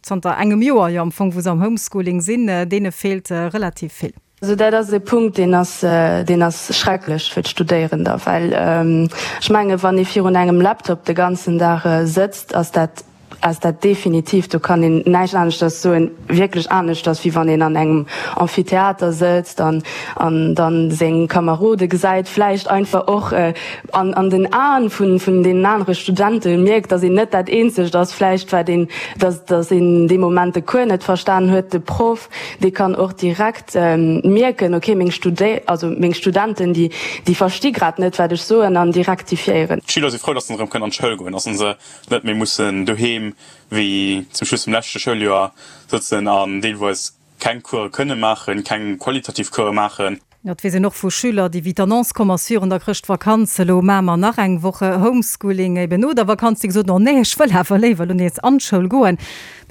zanter engem Joer jo am Fong, wou se am Homeschooling sinn, deene feelt relativ vill. Also dat ass e Punkt, deen ass, deen ass schrecklech fir d'Studéierender, well ech menge wann ee virun engem Laptop de ganzen Dag sëtzt, ass dat ass dat definitiv, do kann een näischt aneschters soen, wierklech aneschters, wéi wann een an engem Amphitheater sëtzt an an dann seng Kamerode gesäit, vläicht einfach och an an den Aen vun vun deenen anere Studente mierkt, datt een net dat Eenzegt ass vläicht, wat een, datt datt een dee Moment de Cours net verstan huet. De Proff, dee kann och direkt mierken, okay, meng Studé also meng Studenten, déi déi versti grad net, wat ech soen an déi rektifiéieren. D'Schüler si frou, datt se erëm kënnen an d'Schoul goen, datt se net méi mussen doheem wéi zum Schluss vum leschte Schouljoer sëtzen an deelweis keng Course kënne maachen, keng qualitativ Course maachen. Jo, et weess een och vu Schüler, déi, wéi d'Annonce komm ass virun der Chrëschtvakanz, elo maache mer nach eng Woch Homeschooling eben no der Vakanz, déi gesot hunn, oh nee, ech wëll awer léiwer elo nees an d'Schoul goen.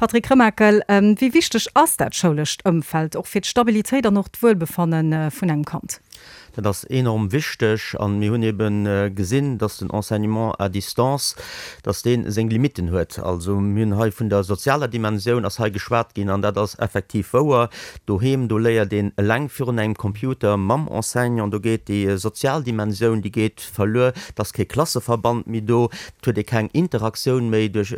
Patrick Remakel, wéi wichteg ass dat schoulescht Ëmfeld och fir d'Stabilitéit an och d'Wuelbefanne vun engem Kand? Dat ass enorm wichteg a mir hunn ebe gesinn, dass den Enseignement à distance, dass dee seng Limitten huet. Also mir hunn hei vun der sozialer Dimensioun ass hei geschwat ginn an dat ass effektiv wouer. Doheem, do léiert een eleng virun engem Computer mam Enseignant, do geet déi sozial Dimensioun, déi geet verluer, et ass kee Klasseverband méi do, et huet ee keng Interaktioun méi duerch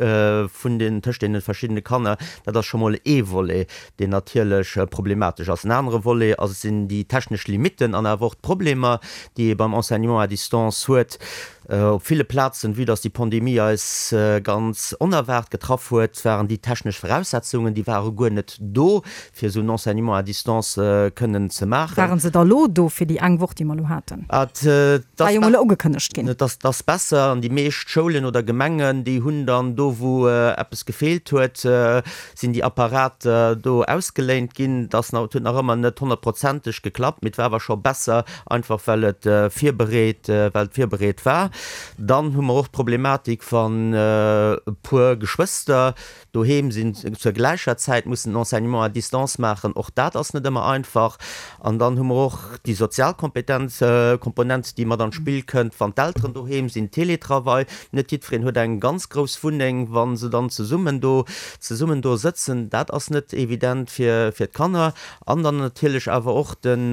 vun den tëscht deene verschiddene Kanner. Dat ass scho mol ee Volet, deen natierlech problematesch ass. En anere Volet ass sinn déi technesch Limitten an awer och d'Problemer, déi ee beim Enseignement à distance huet. Op ville Plazen, vue dass déi Pandemie eis ganz onerwaart getraff huet, waren déi technesch Voraussetzungen, déi ware guer net do, fir esou en Enseignement à distance kënnen ze maachen. Waren se da lo do fir déi eng Woch, déi mer elo haten? War jo mol ugekënnegt ginn. Et ass besser an déi meescht Schoulen oder Gemengen, déi hunn dann do, wou eppes gefeelt huet, sinn déi Apparater do ausgeléint ginn. Et ass nach, et huet nach ëmmer net honnertprozenteg geklappt, mee et war awer scho besser, einfach well et virbereet, well et virbereet war. Dann hu mer och d'Problematik, wann e puer Geschwëster doheem sinn, zur gläicher Zäit mussen den Enseignement à distance maachen. Och dat ass net ëmmer einfach. An dann hu mer och déi sozial Kompetenz, Komponent, déi mat an d'Spill kënnt, wann d'Elteren doheem sinn, Télétravail. Net jiddwereen huet eng ganz grouss Wunneng, wa se dann zesummen do, zesummen do sëtzen. Dat ass net evident fir, fir d'Kanner. An dann natierlech awer och den,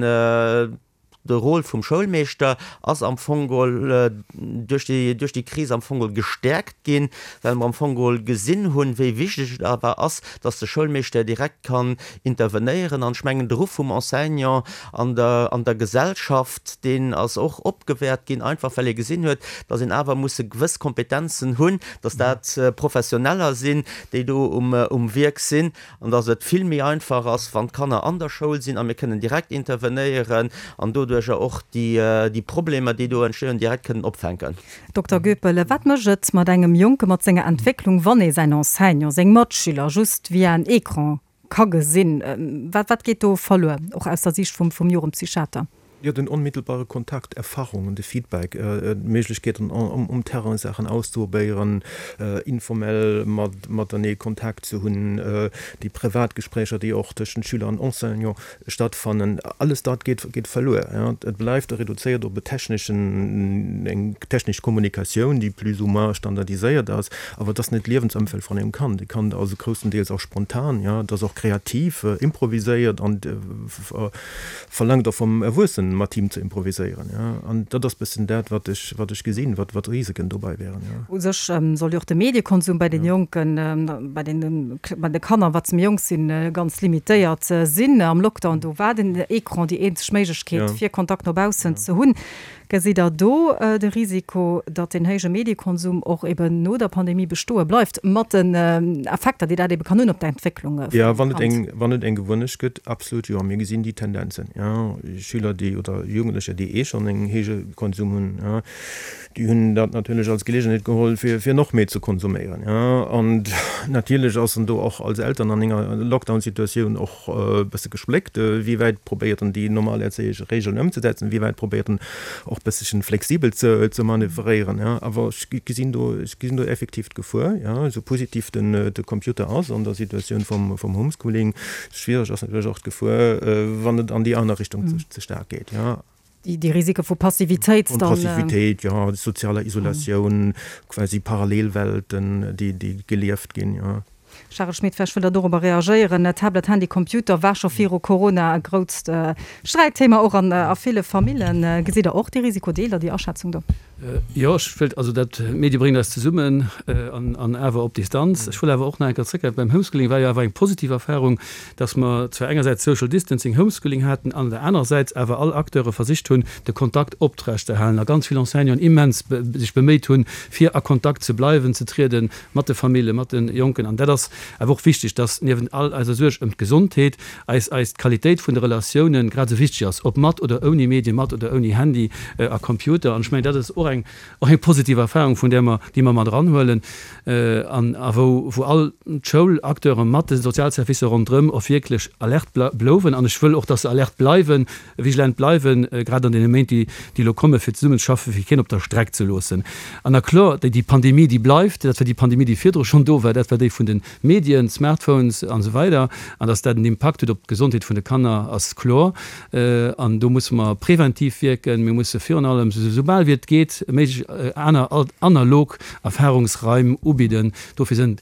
de Rôle vum Schoulmeeschter ass am Fong geholl duerch déi, duerch déi Kris am Fong geholl gestäerkt ginn, well mer am Fong geholl gesinn hunn, wéi wichteg et awer ass, dass de Schoulmeeschter direkt kann intervenéieren. An ech mengen, de Ruff vum Enseignant an der, an der Gesellschaft, deen ass och opgewäert ginn, einfach well ee gesinn huet, dass een awer musse gewëss Kompetenzen hunn, dass dat Professioneller sinn, déi do um, um Wierk sinn, an dass et vill méi einfach ass, wann d'Kanner an der Schoul sinn a mir kënnen direkt intervenéieren an doduerjer och déi, déi Problemer, déi do entstehen, direkt kënnen opfänken. Dokter Goepel, wat mécht et mat engem Jonke mat senger Entwécklung, wann ee säin Enseignant, seng Matschüler just via en Ecran ka gesinn? Wat, wat geet do verluer, och aus der Siicht vum, vum Jugendpsychiater? Jo, den onmittelbare Kontakt, Erfahrungen, de Feedback, d'Méiglechkeeten um Terrain Saachen auszeprobéieren, informell matenee Kontakt ze hunn, déi privat Gespréicher, déi och tëschent Schüler an Enseignant stattfannen, alles dat geet verluer. Et bleift reduzéiert op e techneschen, eng technesch Kommunikatioun, déi plus ou moins standardiséiert ass, awer et ass net d'Liewensëmfeld vun engem Kand. E Kand ass grousstendeels och spontan, et ass och kreativ, improviséiert an verlaangt och vum Erwuessenen, mat him ze improviséieren. An dat ass bëssen dat, wat ech, wat ech gesinn, wat, wat Risiken dobäi wären. U sech soll jo och de Mediekonsum bei den Jonken, bei den, bei de Kanner, wat se méi jonk sinn, ganz limitéiert sinn. Am Lockdown, do war den Ecran déi eenzeg Méiglechkeet, fir Kontakt no baussen ze hunn. Gesitt Der do de Risiko, datt deen héije Mediekonsum och eben no der Pandemie bestoe bleift, mat den Effekter, déi dat ebe kann hunn op d'Entwécklung vum Kand? Jo, wann et eng, wann et eng Gewunnecht gëtt, absolut jo. Mir gesinn déi Tendenzen, jo. Schüler, déi, oder Jugendlecher, déi eh schonn en héije Konsum hunn, jo, déi hunn dat natierlech als Geleegenheet geholl, fir, fir nach méi ze konsuméieren, jo. An natierlech ass en do och als Eltern an enger Lockdown-Situatioun och e bësse gespléckt, wéi wäit probéiert en déi normal erzéieresch Regeln ëmzesetzen, wéi wäit probéiert en och bëssechen flexibel ze ze manövréieren, ja. Awer ech gesinn do, ech gesinn do effektiv d'Gefuer, ja, esou positiv den de Computer ass an der Situatioun vum vum Homeschooling, schwiereg ass natierlech och d'Gefuer, wann et an déi aner Richtung ze ze staark geet, ja. Déi déi Risike vu Passivitéit dann. Passivitéit, ja, sozialer Isolatioun, quasi Parallelwelten, déi déi gelieft ginn, ja. Charel Schmit, vläicht wëllt Der dorobber reagéieren. Tablet, Handy, Computer war scho viru Corona e grousst Sträitthema, och an a ville Famillen. Gesitt Der och dee Risiko? Deelt Der déi Aschätzung do? Jo, ech wëllt, also dat, d'Medie bréngen eis zesummen an an awer op Distanz. Ech wëll awer och nach eng Kéier zréckgräifen, beim Homeschooling war jo awer eng positiv Erfahrung, dass mer zwar engersäits Social Distancing, Homeschooling haten an der anerersäits awer all Acteure versicht hunn, de Kontakt optrechterhalen a ganz vill Enseignanten immens sech beméit hunn, fir a Kontakt ze bleiwen, ze trieden mat de Famillen, mat de Jonken. An dat ass awer och wichteg, dass niewent all eiser Suerg ëm d'Gesondheet eis eis d'Qualitéit vun de Relatiounen grad esou wichteg ass, ob mat oder ouni Medien, mat oder ouni Handy a Computer. An ech mengen, dat ass och eng och eng positiv Erfahrung, vun där mer, déi mer mat eranhuelen an a wou wou all d'Schoulacteure mat de Sozialservicer ronderëm och wierklech alert blouwen. An ech wëll och, dass se alert bleiwen, vigilant bleiwen, grad an deene Méint, déi déi elo kommen, fir zesummenzeschaffen, fir keen op der Streck ze loossen. An na kloer, déi déi Pandemie, déi bleift, dat war déi Pandemie, déi virdru schonn do war, dat war déi vun de Medien, Smartphones an esou weider. An dass dat en Impakt huet op d'Gesondheet vun de Kanner, ass kloer. An do musse mer preventiv wierken. Mir musse virun allem, esou bal wéi et geet, méiglech aner analog Erfahrungsraim ubidden. Dofir sinn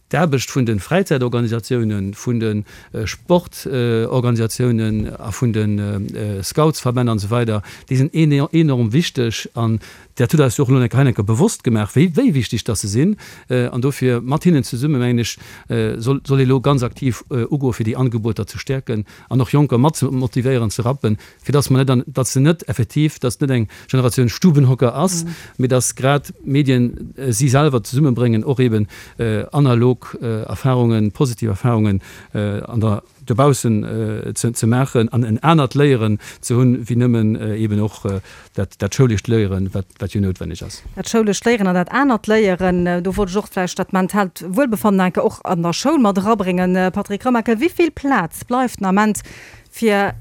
d'Aarbecht vun de Fräizäitorganisatiounen, vun de Sportorganisatiounen a vun de Scoutsverbänn an esou weider, déi sinn enorm wichteg. An dat huet eis jo och elo hei enker bewosst gemaach, wéi wéi wichteg dass se sinn. An dofir mat hinnen zesumme, mengen ech, soll soll ee elo ganz aktiv ugoen, fir déi Angeboter ze stäerken an och Jonker mat ze motivéieren, ze rappen, fir dass mer net an, dass se net effektiv, dass net eng Generatioun Stubenhocker ass, mee dass grad d'Medien si selwer zesummebréngen, och eeben analog Erfahrungen, positiv Erfahrungen an der dobaussen ze maachen an en anert Léieren ze hunn, wéi nëmmen eeben och dat dat schoulescht Léieren, wat wat jo noutwenneg ass. Dat schoulescht Léieren an dat anert Léieren, do wollt ech och vläicht dat mentaalt Wuelbefannen enke och an der Schoul mat erabréngen. Patrick Remakel, wéi vill Plaz bleift den Ament, fir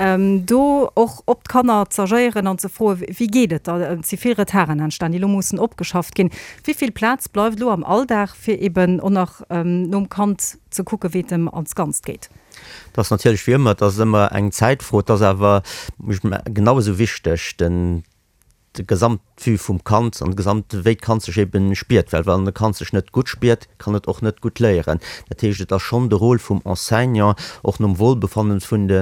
do och op d'Kanner z'agéieren an ze froen, wéi geet et der? Et si vill Retarden entstan, déi elo mussen opgeschafft ginn. Wéi vill Plaz bleift elo am Alldag, fir eben och nach nom Kand ze kucken, wéi et em als Ganzt geet? Et ass natierlech wéi ëmmer, et ass ëmmer eng Zäitfro. Et ass awer genau esou wichteg, den de Gesamtvue vum Kand an de Gesamt, wéi d'Kand sech eben spiert, well wann e Kand sech net gutt spiert, kann et och net gutt léieren. Dat heescht, et ass schonn de Rôle vum Enseignant, och nom Wohlbefannen vun de,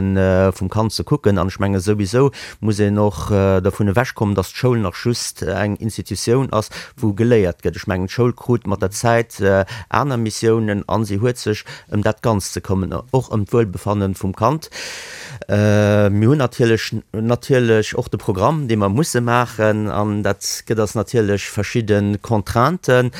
vum Kand ze kucken. An ech menge souwisou muss een och dervun ewechkommen, dass d'Schoul nach just eng Institutioun ass, wou geléiert gëtt. Ech mengen, d'Schoul krut mat der Zäit aner Missiounen a si huet sech ëm dat Ganzt ze këmmen, och ëm d'Wuelbefannen vum Kand. Mir hunn natierlech, natierlech och de Programm, dee mer musse maachen, an dat gëtt eis natierlech verschidde Contrainten.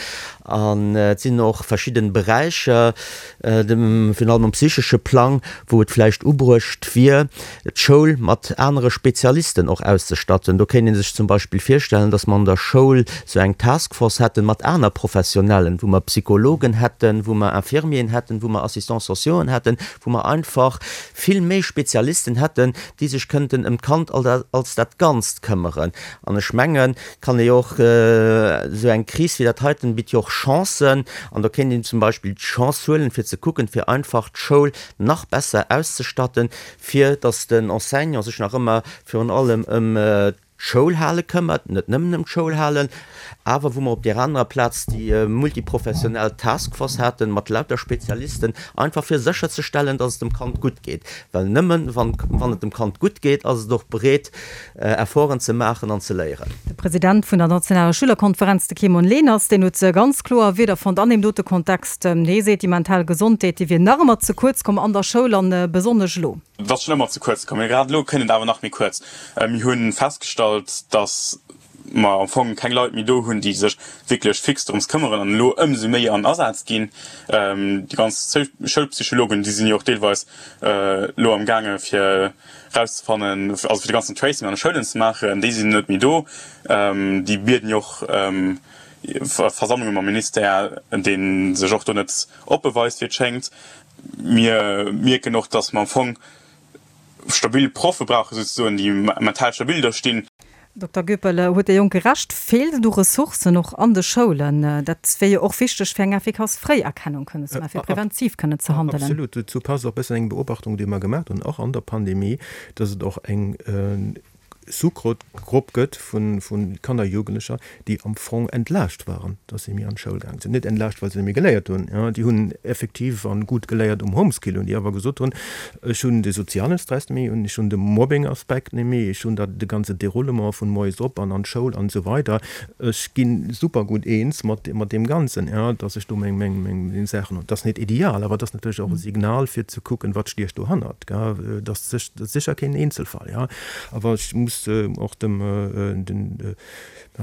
An et sinn och verschidde Beräicher, virun allem um psychesche Plang, wou et vläicht ubruecht wier, d'Schoul mat anere Spezialisten och auszestatten. Do kéint ee sech zum Beispill virstellen, datt mer an der Schoul esou eng Taskforce hätten mat aner Professionellen, wou mer Psychologen hätten, wou mer Infirmieren hätten, wou mer Assistants sociauxen hätten, wou mer einfach vill méi Spezialisten hätten, déi sech kënnten ëm d'Kand als dat Ganzt këmmeren. An ech mengen, et kann ee jo och, esou eng Kris wéi dat heiten bitt jo och Chancen, an do kéint een zum Beispill d'Chance huelen, fir ze kucken, fir einfach d'Schoul nach besser auszestatten, fir datt den Enseignant sech nach ëmmer virun allem ëm d'Schoulhale këmmert, net nëmmen ëm d'Schoulhalen, awer wou mer op där anerer Plaz déi multiprofessionell Taskforce haten, mat lauter Spezialisten, einfach fir sécherzestellen, dass et dem Kand gutt geet. Well nëmmen wann wann et dem Kand gutt geet, ass et och bereet, Efforten ze maachen an ze léieren. De President vun der nationaler Schülerkonferenz, de Kimon Leners, deen huet ganz kloer Wierder fonnt an deem dote Kontext. Hie seet, déi mental Gesondheet, déi wier nach ëmmer ze kuerz komm an der Schoul an besonnesch elo. Et ass schonn ëmmer ze kuerz komm, mee grad elo kënnt et awer nach méi kuerz. Mir hu festgestallt, datt mer am Fong keng Leit méi do hunn, déi sech wierklech fix dorëms këmmeren an elo ëmsou méi an Asaz ginn. Déi ganz Schoulpsychologen, déi sinn jo och deelweis elo am gaange fir erauszefannen, also fir de ganzen Tracing an de Schoulen ze maachen, déi sinn net méi do. Déi bieden jo och Versammlunge mam Ministère, dee sech och do net oppe weist, wéi et schéngt. Mir mierken och, dass mer am Fong stabil Proffe brauchen, souzesoen, déi mental stabil do stinn. Dokter Goepel, huet de Jonke Recht? Feelt et u Ressourcen och an de Schoulen? Dat wier jo och wichteg, fir eng effikass Fréierkennung kënnen ze maachen, fir preventiv kënnen ze handelen. Absolut. Dozou passt och e bëssen eng Beobachtung, déi mer gemaach hunn, och an der Pandemie, dass et och eng Sous-Grupp gëtt vu Kanner, Jugendlecher, déi am Fong entlaascht waren, dass si méi an d'Schoul gaange sinn. Net entlaascht, well se net méi geléiert hunn, jo, déi hunn effektiv an gutt geléiert um Homeskill, hunn déi awer gesot hunn, ech hunn de soziale Stress net méi, ech hunn de Mobbing-Aspekt net méi, ech hunn dat de ganze Déroulement vun moies op an an d'Schoul an esou weider, ech gi super gutt eens mat mat deem Ganzen, jo, dass ech do meng meng meng Saachen hunn. Dat ass net ideal, awer dat ass natierlech och e Signal fir ze kucken, wat stiecht dohannert, gell. Dat ass sécher keen Eenzelfall, jo, awer ech muss och dem den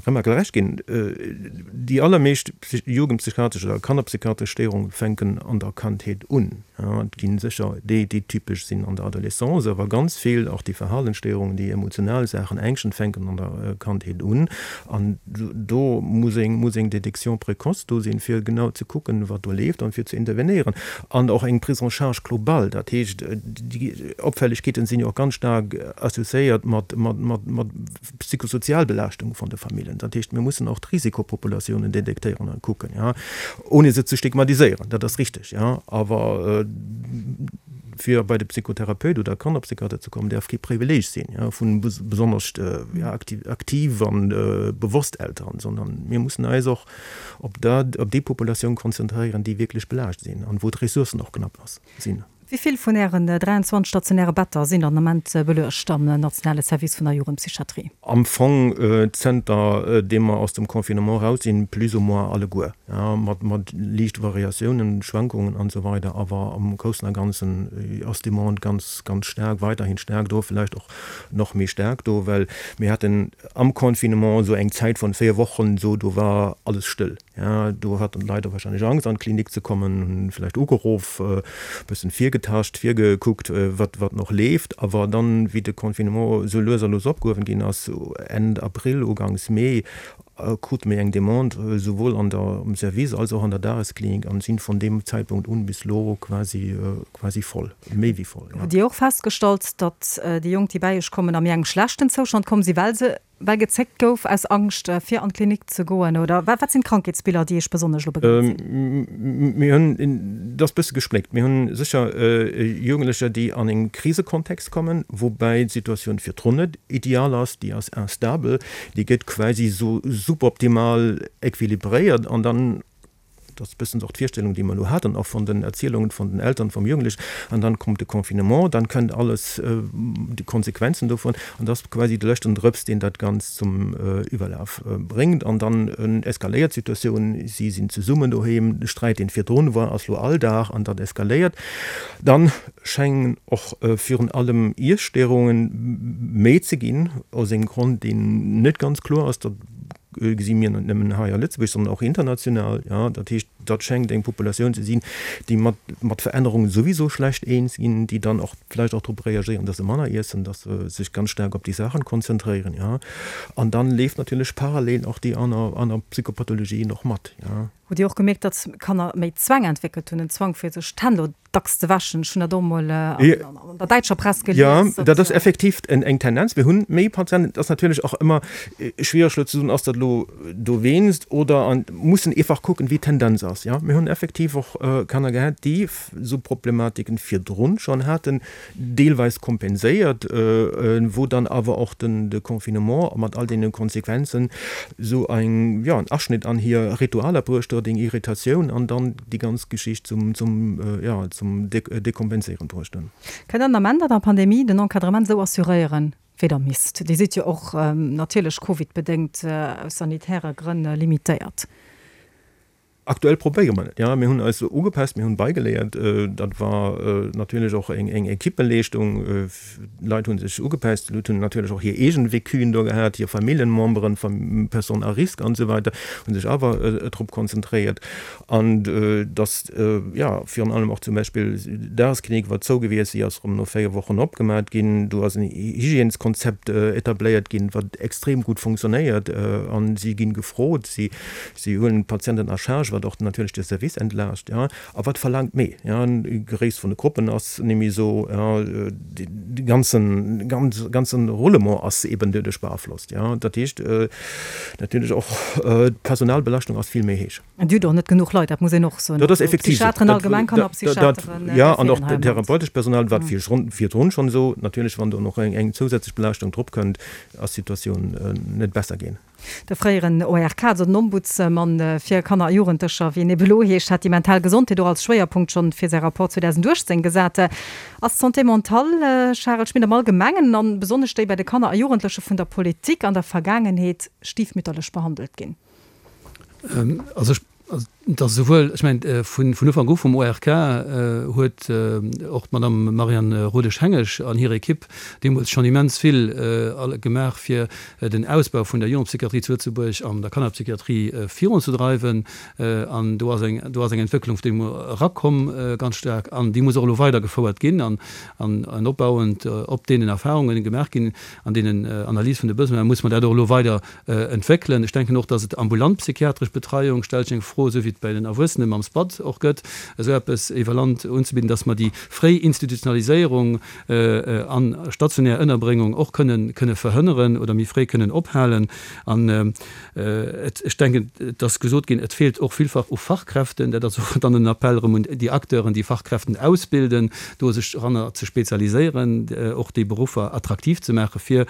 Remakel Recht ginn, déi allermeescht jugendpsychiatresch oder kannerpsychiatresch Stéierunge fänken an der Kandheet un. Et gi sécher déi, déi typesch sinn an der Adolescence, awer ganz vill, och déi Verhalensstéierungen, déi emotional Saachen, Ängschten, fänken an der Kandheet un. An do muss eng muss eng Détection précoce do sinn, fir genau ze kucken, wat do leeft an fir ze intervenéieren. An och eng Prise en charge globale, dat heescht, déi Opfällegkeeten sinn jo och ganz staark associéiert mat mat mat mat psychosozial Belaaschtung vun de Famillen. Dat heescht, mir mussen och d'Risikopopulatiounen detektéieren a kucken, jo, ohne se ze stigmatiséieren, dat ass richteg, jo, awer fir bei de Psychotherapeut oder Kannerpsychiater ze kommen, däerf kee Privileeg sinn, jo, vu besonnesch, jo, aktiv an bewosst Elteren, sondern mir mussen eis och op dat, op déi Populatioun konzentréieren, déi wierklech belaascht sinn an wou d'Ressourcen och knapp sinn. Wéi vill vun Ären dräianzwanzeg stationäre Better sinn den Ament beluecht am nationale Service vun der Jugendpsychiatrie? Am Fong zënter deem mer aus dem Confinement raus sinn, plus ou moins alleguer, mat mat liichte Variatiounen, Schwankungen an esou weider, awer am Groussen a Ganzen ass d'Demande ganz, ganz staark, weiderhin staark do, villäicht och nach méi staark do, well mir haten am Confinement esou eng Zäit vun véier Wochen, esou do war alles stëll. Ja, do haten d'Leit och wahrscheinlech Angst an d'Klinik ze kommen, hunn vläicht ugeruff, e bëssen virgetascht, virgekuckt, wat wat nach leeft. Awer dann, wéi de Confinement esou lues a lues opgehuewen ginn ass, Enn Abril, Uganks Mee, krute mir eng Demande, souwuel an der am Service als och an der Dagesklinik an sinn vun deem Zäitpunkt un bis elo quasi quasi voll, méi wéi voll, ja. Hutt Dir och festgestallt, datt déi Jonk, déi bäi Iech kommen, a méi engem schlechten Zoustand komm sinn, well se Well gezéckt gouf aus Angscht fir an d'Klinik ze goen, oder wat sinn d'Krankheetsbiller, déi Iech besonnesch elo begéint sinn? Mir hunn, dat ass e bësse gespléckt, mir hunn sécher Jugendlecher, déi an e Krisekontext kommen, woubäi d'Situatioun virdrun net ideal ass, déi ass instabel, déi gëtt quasi esou suboptimal equilibréiert an dann, Dat ass e bëssen och d'Virstellung, déi mer elo haten, och von den Erzielungen von den Eltern vum Jugendlichen. An dann kommt de Confinement, dann kënnt alles, déi Konsequenzen dovun. An dat ass quasi de leschten Drëps, deen dat Ganzt zum Iwwerlaf bréngt. An dann eskaléiert d'Situatioun, si sinn zesummen doheem, de Sträit, deen virdrun war, ass elo Alldag an dat eskaléiert. Dann schéngen och virun allem Iesstéierungen méi ze ginn, aus engem Grond, deen net ganz kloer ass. Dat gesi mir net nëmmen hei a Lëtzebuerg, sondern och international. Jo, dat heescht, dat schéngt eng Populatioun ze sinn, déi mat, mat Verännerungen souwiso schlecht eens ginn, déi dann och vläicht och drop reagéieren, dass se manner iessen, dass se sech ganz staark op déi Saachen konzentréieren. Jo, an dann leeft natierlech parallel och déi aner, aner Psychopathologien och mat. Jo. Hutt Dir och gemierkt, datt Kanner méi Zwäng entwéckelt hunn, en Zwang fir sech d'Hänn elo dacks ze wäschen? Ech hunn dat och emol an der däitscher Press gelies. Jo, dat ass effektiv eng Tendenz. Mir hunn méi Patienten. Et ass natierlech och ëmmer schwiereg elo ze soen, ass dat elo dowéinst oder an mussen eefach kucken, wéi d'Tendenz ass. Jo, mir hunn effektiv och Kanner gehat, déi esou Problematiken virdrun schonn haten, deelweis kompenséiert, wou dann awer och den de Confinement mat all deene Konsequenzen esou eng, jo, en Aschnitt an hir Ritualer bruecht huet, eng Irritatioun an dann déi ganz Geschicht zum, zum, jo, zum Dekompenséieren bruecht hunn. Kënnt der den Ament an der Pandemie den Encadrement esou assuréieren, wéi der misst? Dir sidd jo och natierlech covidbedéngt aus sanitäre Grënn limitéiert. Aktuell probéiere mer et, jo. Mir hunn eis ugepasst, mir hunn beigeléiert. Dat war natierlech och eng Equippeleeschtung. D'Leit hu sech ugepasst, d'Leit hunn natierlech och hir eegen Vécuen do gehat, hir Familljenmemberen, Personnes à risque an esou weider, hu sech awer drop konzentréiert. An dass, jo, virun allem och zum Beispill d'Dagesklinik war zou gewiescht, si ass erëm no véier Wochen opgemat ginn. Do ass en Hygièneskonzept etabléiert ginn, wat extrem gutt funktionéiert. An si ginn gefrot, si huelen d'Patienten à charge. wat och natierlech de Service entlaascht, jo, a wat verlaangt méi, jo, Gréisst vun de Gruppen ass némmi esou, jo, de ganzen, ganzen Roulement ass eben doduerch beaflosst, jo. Dat heescht natierlech och d'Personalbelaschtung ass vill méi héich. An Dir hutt och net genuch Leit, dat muss een och soen. Dat ass effektiv esou. Psychiateren allgemeng, Kannerpsychiateren, Jo, an och therapeutescht Personal war virdrun schonn esou. Natierlech, wann do och eng zousätzlech Belaaschtung drop kënnt, ass d'Situatioun net besser ginn. De fréieren O R K, also den Ombudsmann fir Kanner a Jugendlecher, wéi en ebe elo heescht, hat déi mental Gesondheet och als Schwéierpunkt schonn fir säi Rapport zweedausendachtzéng gesat. Ass d'Santé mentale, Charel Schmit, am Allgemengen an besonnesch déi bei de Kanner a Jugendleche vun der Politik an der Vergaangenheet stiefmütterlech behandelt ginn? Also ech, et ass esouwuel, ech mengen, vun Ufank u vum O R K huet och d'Madame Marianne Rodesch-Hengesch an hir Ekipp deemools schonn immens vill gemaach, fir den Ausbau vun der Jugendpsychiatrie zu Lëtzebuerg an der Kannerpsychiatrie virunzedreiwen. An do ass eng, do ass eng Entwécklung vun deem erakomm, ganz staark, an déi muss och elo weidergefouert ginn an an opbauend op deenen Erfahrungen, déi gemaach ginn, an deenen Analyse vun de Besoinen, muss mer dat och elo weider entwéckelen. Ech denken och, dass et ambulant psychiatresch Betreiung, stellt sech eng Fro, esou wéi et bei den Erwuessene mam SPAD och gëtt, esou eppes iwwer Land unzebidden, dass mer déi fréi Institutionaliséierung an stationär Ënnerbréngung och kënnen kënne verhënneren oder méi fréi kënnen ophalen. An et, ech denken, et ass gesot ginn, et feelt och villfach u Fachkräften. Dat ass och dann en Appell erëm un déi Acteuren, déi Fachkräften ausbilden, do sech eranner ze spezialiséieren, och déi Beruffer attraktiv ze maache fir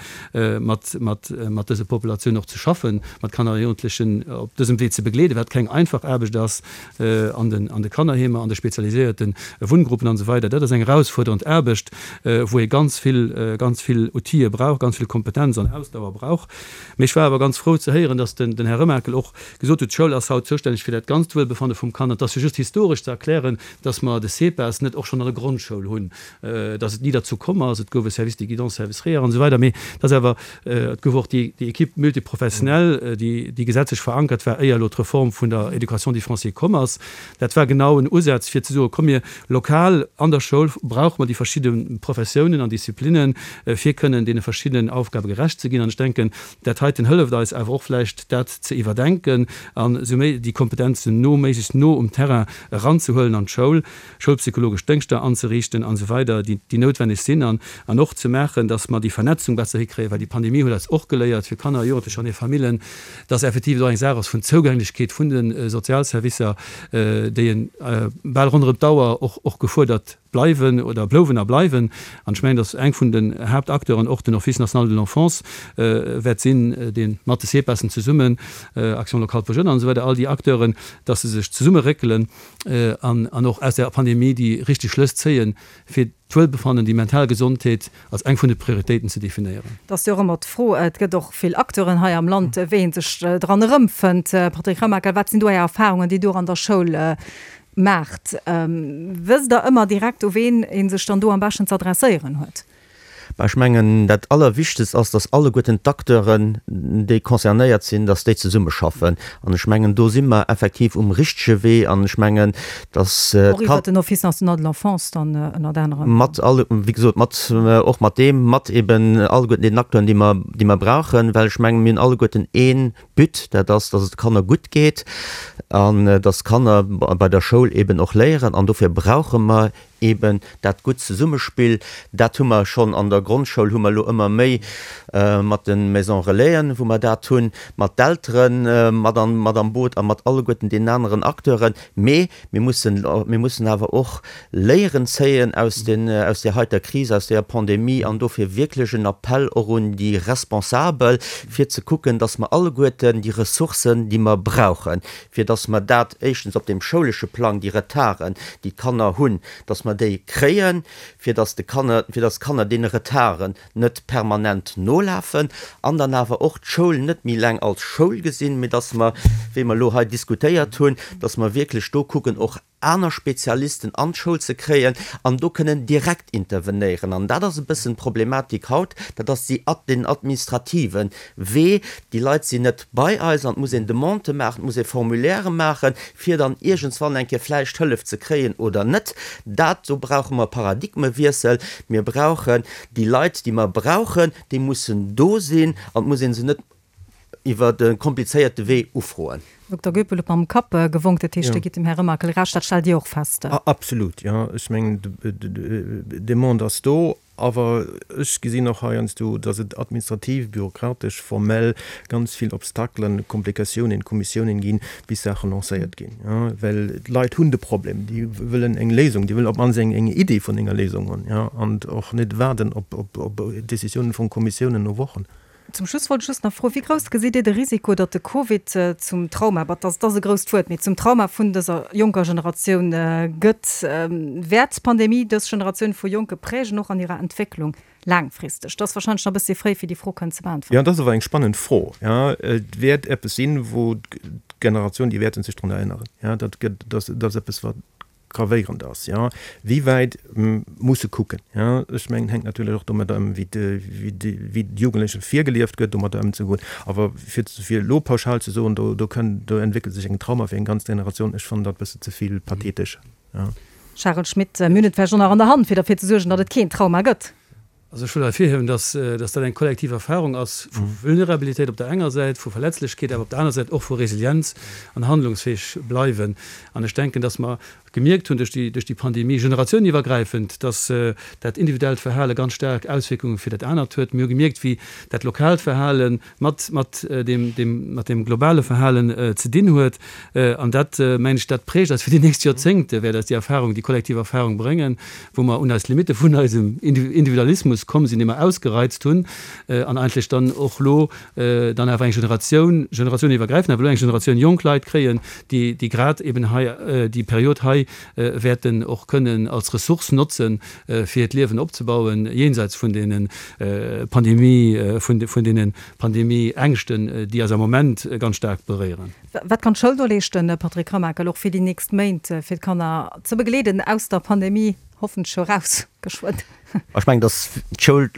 mat mat mat dëse Populatioun och ze schaffen, mat Kanner a Jugendlechen op dësem Wee ze begleeden, wat keng einfach Aarbecht ass an den an de Kannerheemer, an de spezialiséierte Wunngruppen an esou weider. Dat ass eng erausfuerderend Aarbecht, wou ee ganz vill ganz vill Outile brauch, ganz vill Kompetenz an Ausdauer brauch. Mee ech war awer ganz frou ze héieren, dass den den Här Remakel och gesot huet, d'Schoul ass haut zoustänneg fir dat ganzt Wuelbefanne vum Kand. An et ass jo just historesch ze erklären, dass mer de SEPAS net och schonn an der Grondschoul hunn, dass et ni derzou komm ass. Et gouf e Service de guidance, Service réa an esou weider, mee dass awer, et gouf och déi déi Équipe multiprofessionnelle, déi déi gesetzlech verankert war, éier elo d'Reform vun der Éducation différenciée komm ass. Dat war genau en Usaz fir ze soen, komm mir lokal an der Schoul brauche mer déi verschidde Professiounen an Disziplinnen, fir kënnen deene verschiddenen Aufgabe gerecht ze ginn. An ech denken, dat heiten hëlleft eis awer och vläicht dat ze iwwerdenken an esou méi déi Kompetenzen no, méiglechst no um Terrain eranzehuelen an d'Schoul, schoulpsychologesch Déngschter anzeriichten an esou weider, déi déi noutwenneg sinn an an och ze maachen, dass mer déi Vernetzung besser hikréien, well déi Pandemie huet eis och geléiert, fir Kanner, Jugendlecher an hir Famillen, dass effektiv et och eng Saach ass vun Zougänglechkeet vun de Sozialservicer, déi en bal ronderëm d'Auer och och gefuerdert bleiwen oder blouwen a bleiwen. An ech mengen, dass eng vun den Haaptacteuren och den Office national de l'enfance wäert sinn, dee mat de CEPASen zesummen, Action locale pour jeunes an esou weider, all déi Acteuren, dass se sech zesummeréckelen an an och aus der Pandemie déi richteg Schlëss zéien, fir d'Wuelbefannen, déi mental Gesondheet als eng vun de Prioritéiten ze definéieren. Et ass jo och ëmmer d'Fro, et gëtt och vill Acteuren hei am Land, wéi ee sech dran erëmfënnt. Patrick Remakel, wat sinn do Är Erfahrungen, déi Dir an der Schoul maacht? Wësst Der ëmmer direkt, u ween ee sech dann do am beschten ze adresséieren huet? Bah, ech mengen, dat Allerwichtegst ass, dass alleguerten d'Acteuren, déi concernéiert sinn, dass déi zesummeschaffen. An ech mengen, do si mer effektiv um richtege Wee. An ech mengen, dass Och iwwert den Office national de l'enfance dann ënnert anerem. Mat all, wéi gesot, mat, och mat deem, mat eben alleguerten deenen Acteuren, déi mer, déi mer brauchen, well ech mengen, mir hunn alleguerten ee But, dat ass, dass et de Kanner gutt geet an dass d'Kanner bei der Schoul eben och léieren. An dofir brauche mer eben dat gutt Zesummespill. Dat hu mer schonn an der Grondschoul, hu mer elo ëmmer méi mat de Maisons Relaisen, wou mer dat hunn, mat d'Eltere mat an, mat am Boot a mat alleguerten deenen aneren Acteuren. Mee mir mussen, mir mussen awer och Léieren zéien aus den, aus där heiter Kris, aus där Pandemie an dofir wierklech en Appell och un déi Responsabel, fir ze kucken, dass mer alleguerten déi Ressourcen, déi mer brauchen, fir dass mer dat éischtens op deem schoulesche Plang, déi Retarden, déi d'Kanner hunn, dass mer déi kréien, fir dass de Kanner, fir dass d'Kanner deene Retarden net permanent nolafen, an dann awer och d'Schoul net méi eleng als Schoul gesinn, mee dass mer, wéi mer elo hei diskutéiert hunn, dass mer wierklech do kucken, och aner Spezialisten an d'Schoul ze kréien an do kënnen direkt intervenéieren. An dat ass e bëssen d'Problematik haut, dat ass déi, den administrative Wee. Déi Leit sinn net bei eis an et muss een Demandë maachen, et muss ee Formulairë maachen, fir dann iergendswann eng Kéier vläicht Hëllef ze kréien oder net. Dat, do brauche mer e Paradigmewiessel. Mir brauchen déi Leit, déi mer brauchen, déi mussen do sinn an et muss ee se net iwwer e komplizéierte Wee ufroen. Dokter Goepel huet mam Kapp gewonk, dat heescht, Dir gitt dem Här Remakel Recht, dat stellt Dir och fest? Absolut, jo. Ech mengen, d'Demande ass do, awer ech gesinn och heiansdo, datt et administrativ, bürokratesch, formell ganz vill Obstakelen, Komplikatiounen, Kommissiounen ginn, bis Saache lancéiert ginn. Well d'Leit hunn de Problem, déi wëllen eng Léisung, déi wëllen op d'mannst eng Idee vun enger Léisung hunn, an och net waarden op Decisiounen vu Kommissiounen no Wochen. Zum Schluss wollt ech just nach froen, Wéi grouss gesitt Dir de Risiko, datt de Covid zum Trauma, bah, dat ass e grousst Wuert, mee zum Trauma vun dëser jonker Generatioun gëtt? Wäert d'Pandemie dës Generatioun vu Jonke prägen, och an hirer Entwécklung laangfristeg? Dat ass warscheinlech nach e bëssi fréi, fir déi Fro kënnen ze beäntweren. Jo, dat ass awer eng spannend Fro. Jo, et wäert eppes sinn, wou d'Generatioun, déi wäerte sech drun erënneren. Jo, dat gëtt, dat ass eppes, wat gravéierend ass, jo. Wéi wäit muss e kucken, jo. Ech mengen, hänkt natierlech och domadder ëm, wéi wéi d'Jugendleche virgelieft gëtt, domadder ëmzegoen. Awer fir fir elo pauschal ze soen, do do kënn do entwéckelt sech eng Trauma fir eng ganz Generatioun, ech fannen dat e bësse ze vill pathetesch, jo. Charel Schmit, Mir hunn et vläicht och nach an der Hand, fir derfir ze suergen, datt et keen Trauma gëtt. Also ech wëll ervirhiewen, dass dass dat eng kollektiv Erfahrung ass vu Vulnerabilitéit op der enger Säit, vu Verletzlechkeet, awer op der aner Säit och vu Resilienz an handlungsfäeg bleiwen. An ech denken, dass mer gemierkt hunn duerch déi duerch déi Pandemie, generatioueniwwergräifend, dass dat individuellt Verhale ganz staark Auswierkunge fir dat anert huet. Mir hu gemierkt, wéi dat lokaalt Verhale mat mat deem deem mat deem globale Verhalen ze dinn huet. An dat, mengen ech, dat prägt eis fir déi nächst Joerzéngte, wäert eis déi Erfahrung, déi kollektiv Erfahrung bréngen, wou mer un eis Limitte vun eisem Individualismus komm sinn, dee mer ausgereizt hunn, an eigentlech dann och elo dann awer eng Generatioun, generatioueniwwergräifend awer elo eng Generatioun jonk Leit kréien, déi, déi grad eben hei déi Period hei wäerten och kënnen als Ressource notzen, fir hiert Liewen opzebauen, jenseits vun deene Pandemie, vun deene Pandemieängschten, déi eis am Moment ganz staark beréieren. Wat kann d'Schoul do leeschten, Patrick Remakel, och fir déi nächst Méint, fir d'Kanner ze begleeden aus der Pandemie hoffentlech eraus geschwënn? Ech mengen, datt d'Schoul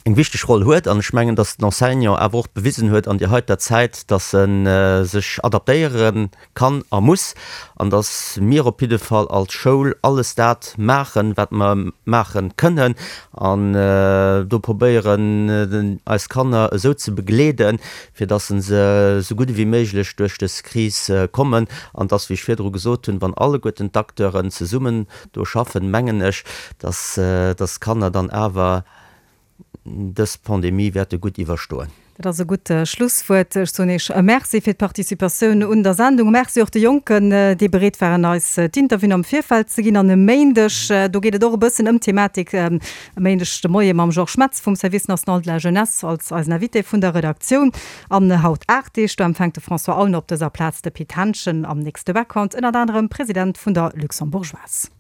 eng wichteg Roll huet an ech mengen, datt den Enseignant awer och bewisen huet an där heiter Zäit, datt e sech adaptéiere kann a muss an datt mir op jidde Fall als Schoul alles dat maachen, wat mer maache kënnen an do probéieren, eis Kanner esou ze begleeden, fir datt se esou gutt ewéi méiglech duerch dës Kris kommen an datt, wéi ech virdru gesot hunn, wann alleguerten d'Acteuren zesummen do schaffen, mengen ech, datt d'Kanner dann awer dës Pandemie wäerte gutt iwwerstoen. Dat ass e gutt Schlusswuert. Ech soen Iech Merci fir d'Participatioun un der Sendung. Merci och de Jonken, déi bereet waren, eis d'Interviewen am Virfeld ze ginn. An e Méindeg, do geet et och e bëssen ëm d'Thematik, e Méindeg de Moie mam Georges Metz vum Service national de la jeunesse als eisen Invité vun der Redaktioun. An haut aacht Deeg, do empfänkt de François Aulner op dëser Plaz de Pit Henschen am nächste Background, ënnert anerem President vun der Luxembourgeoise.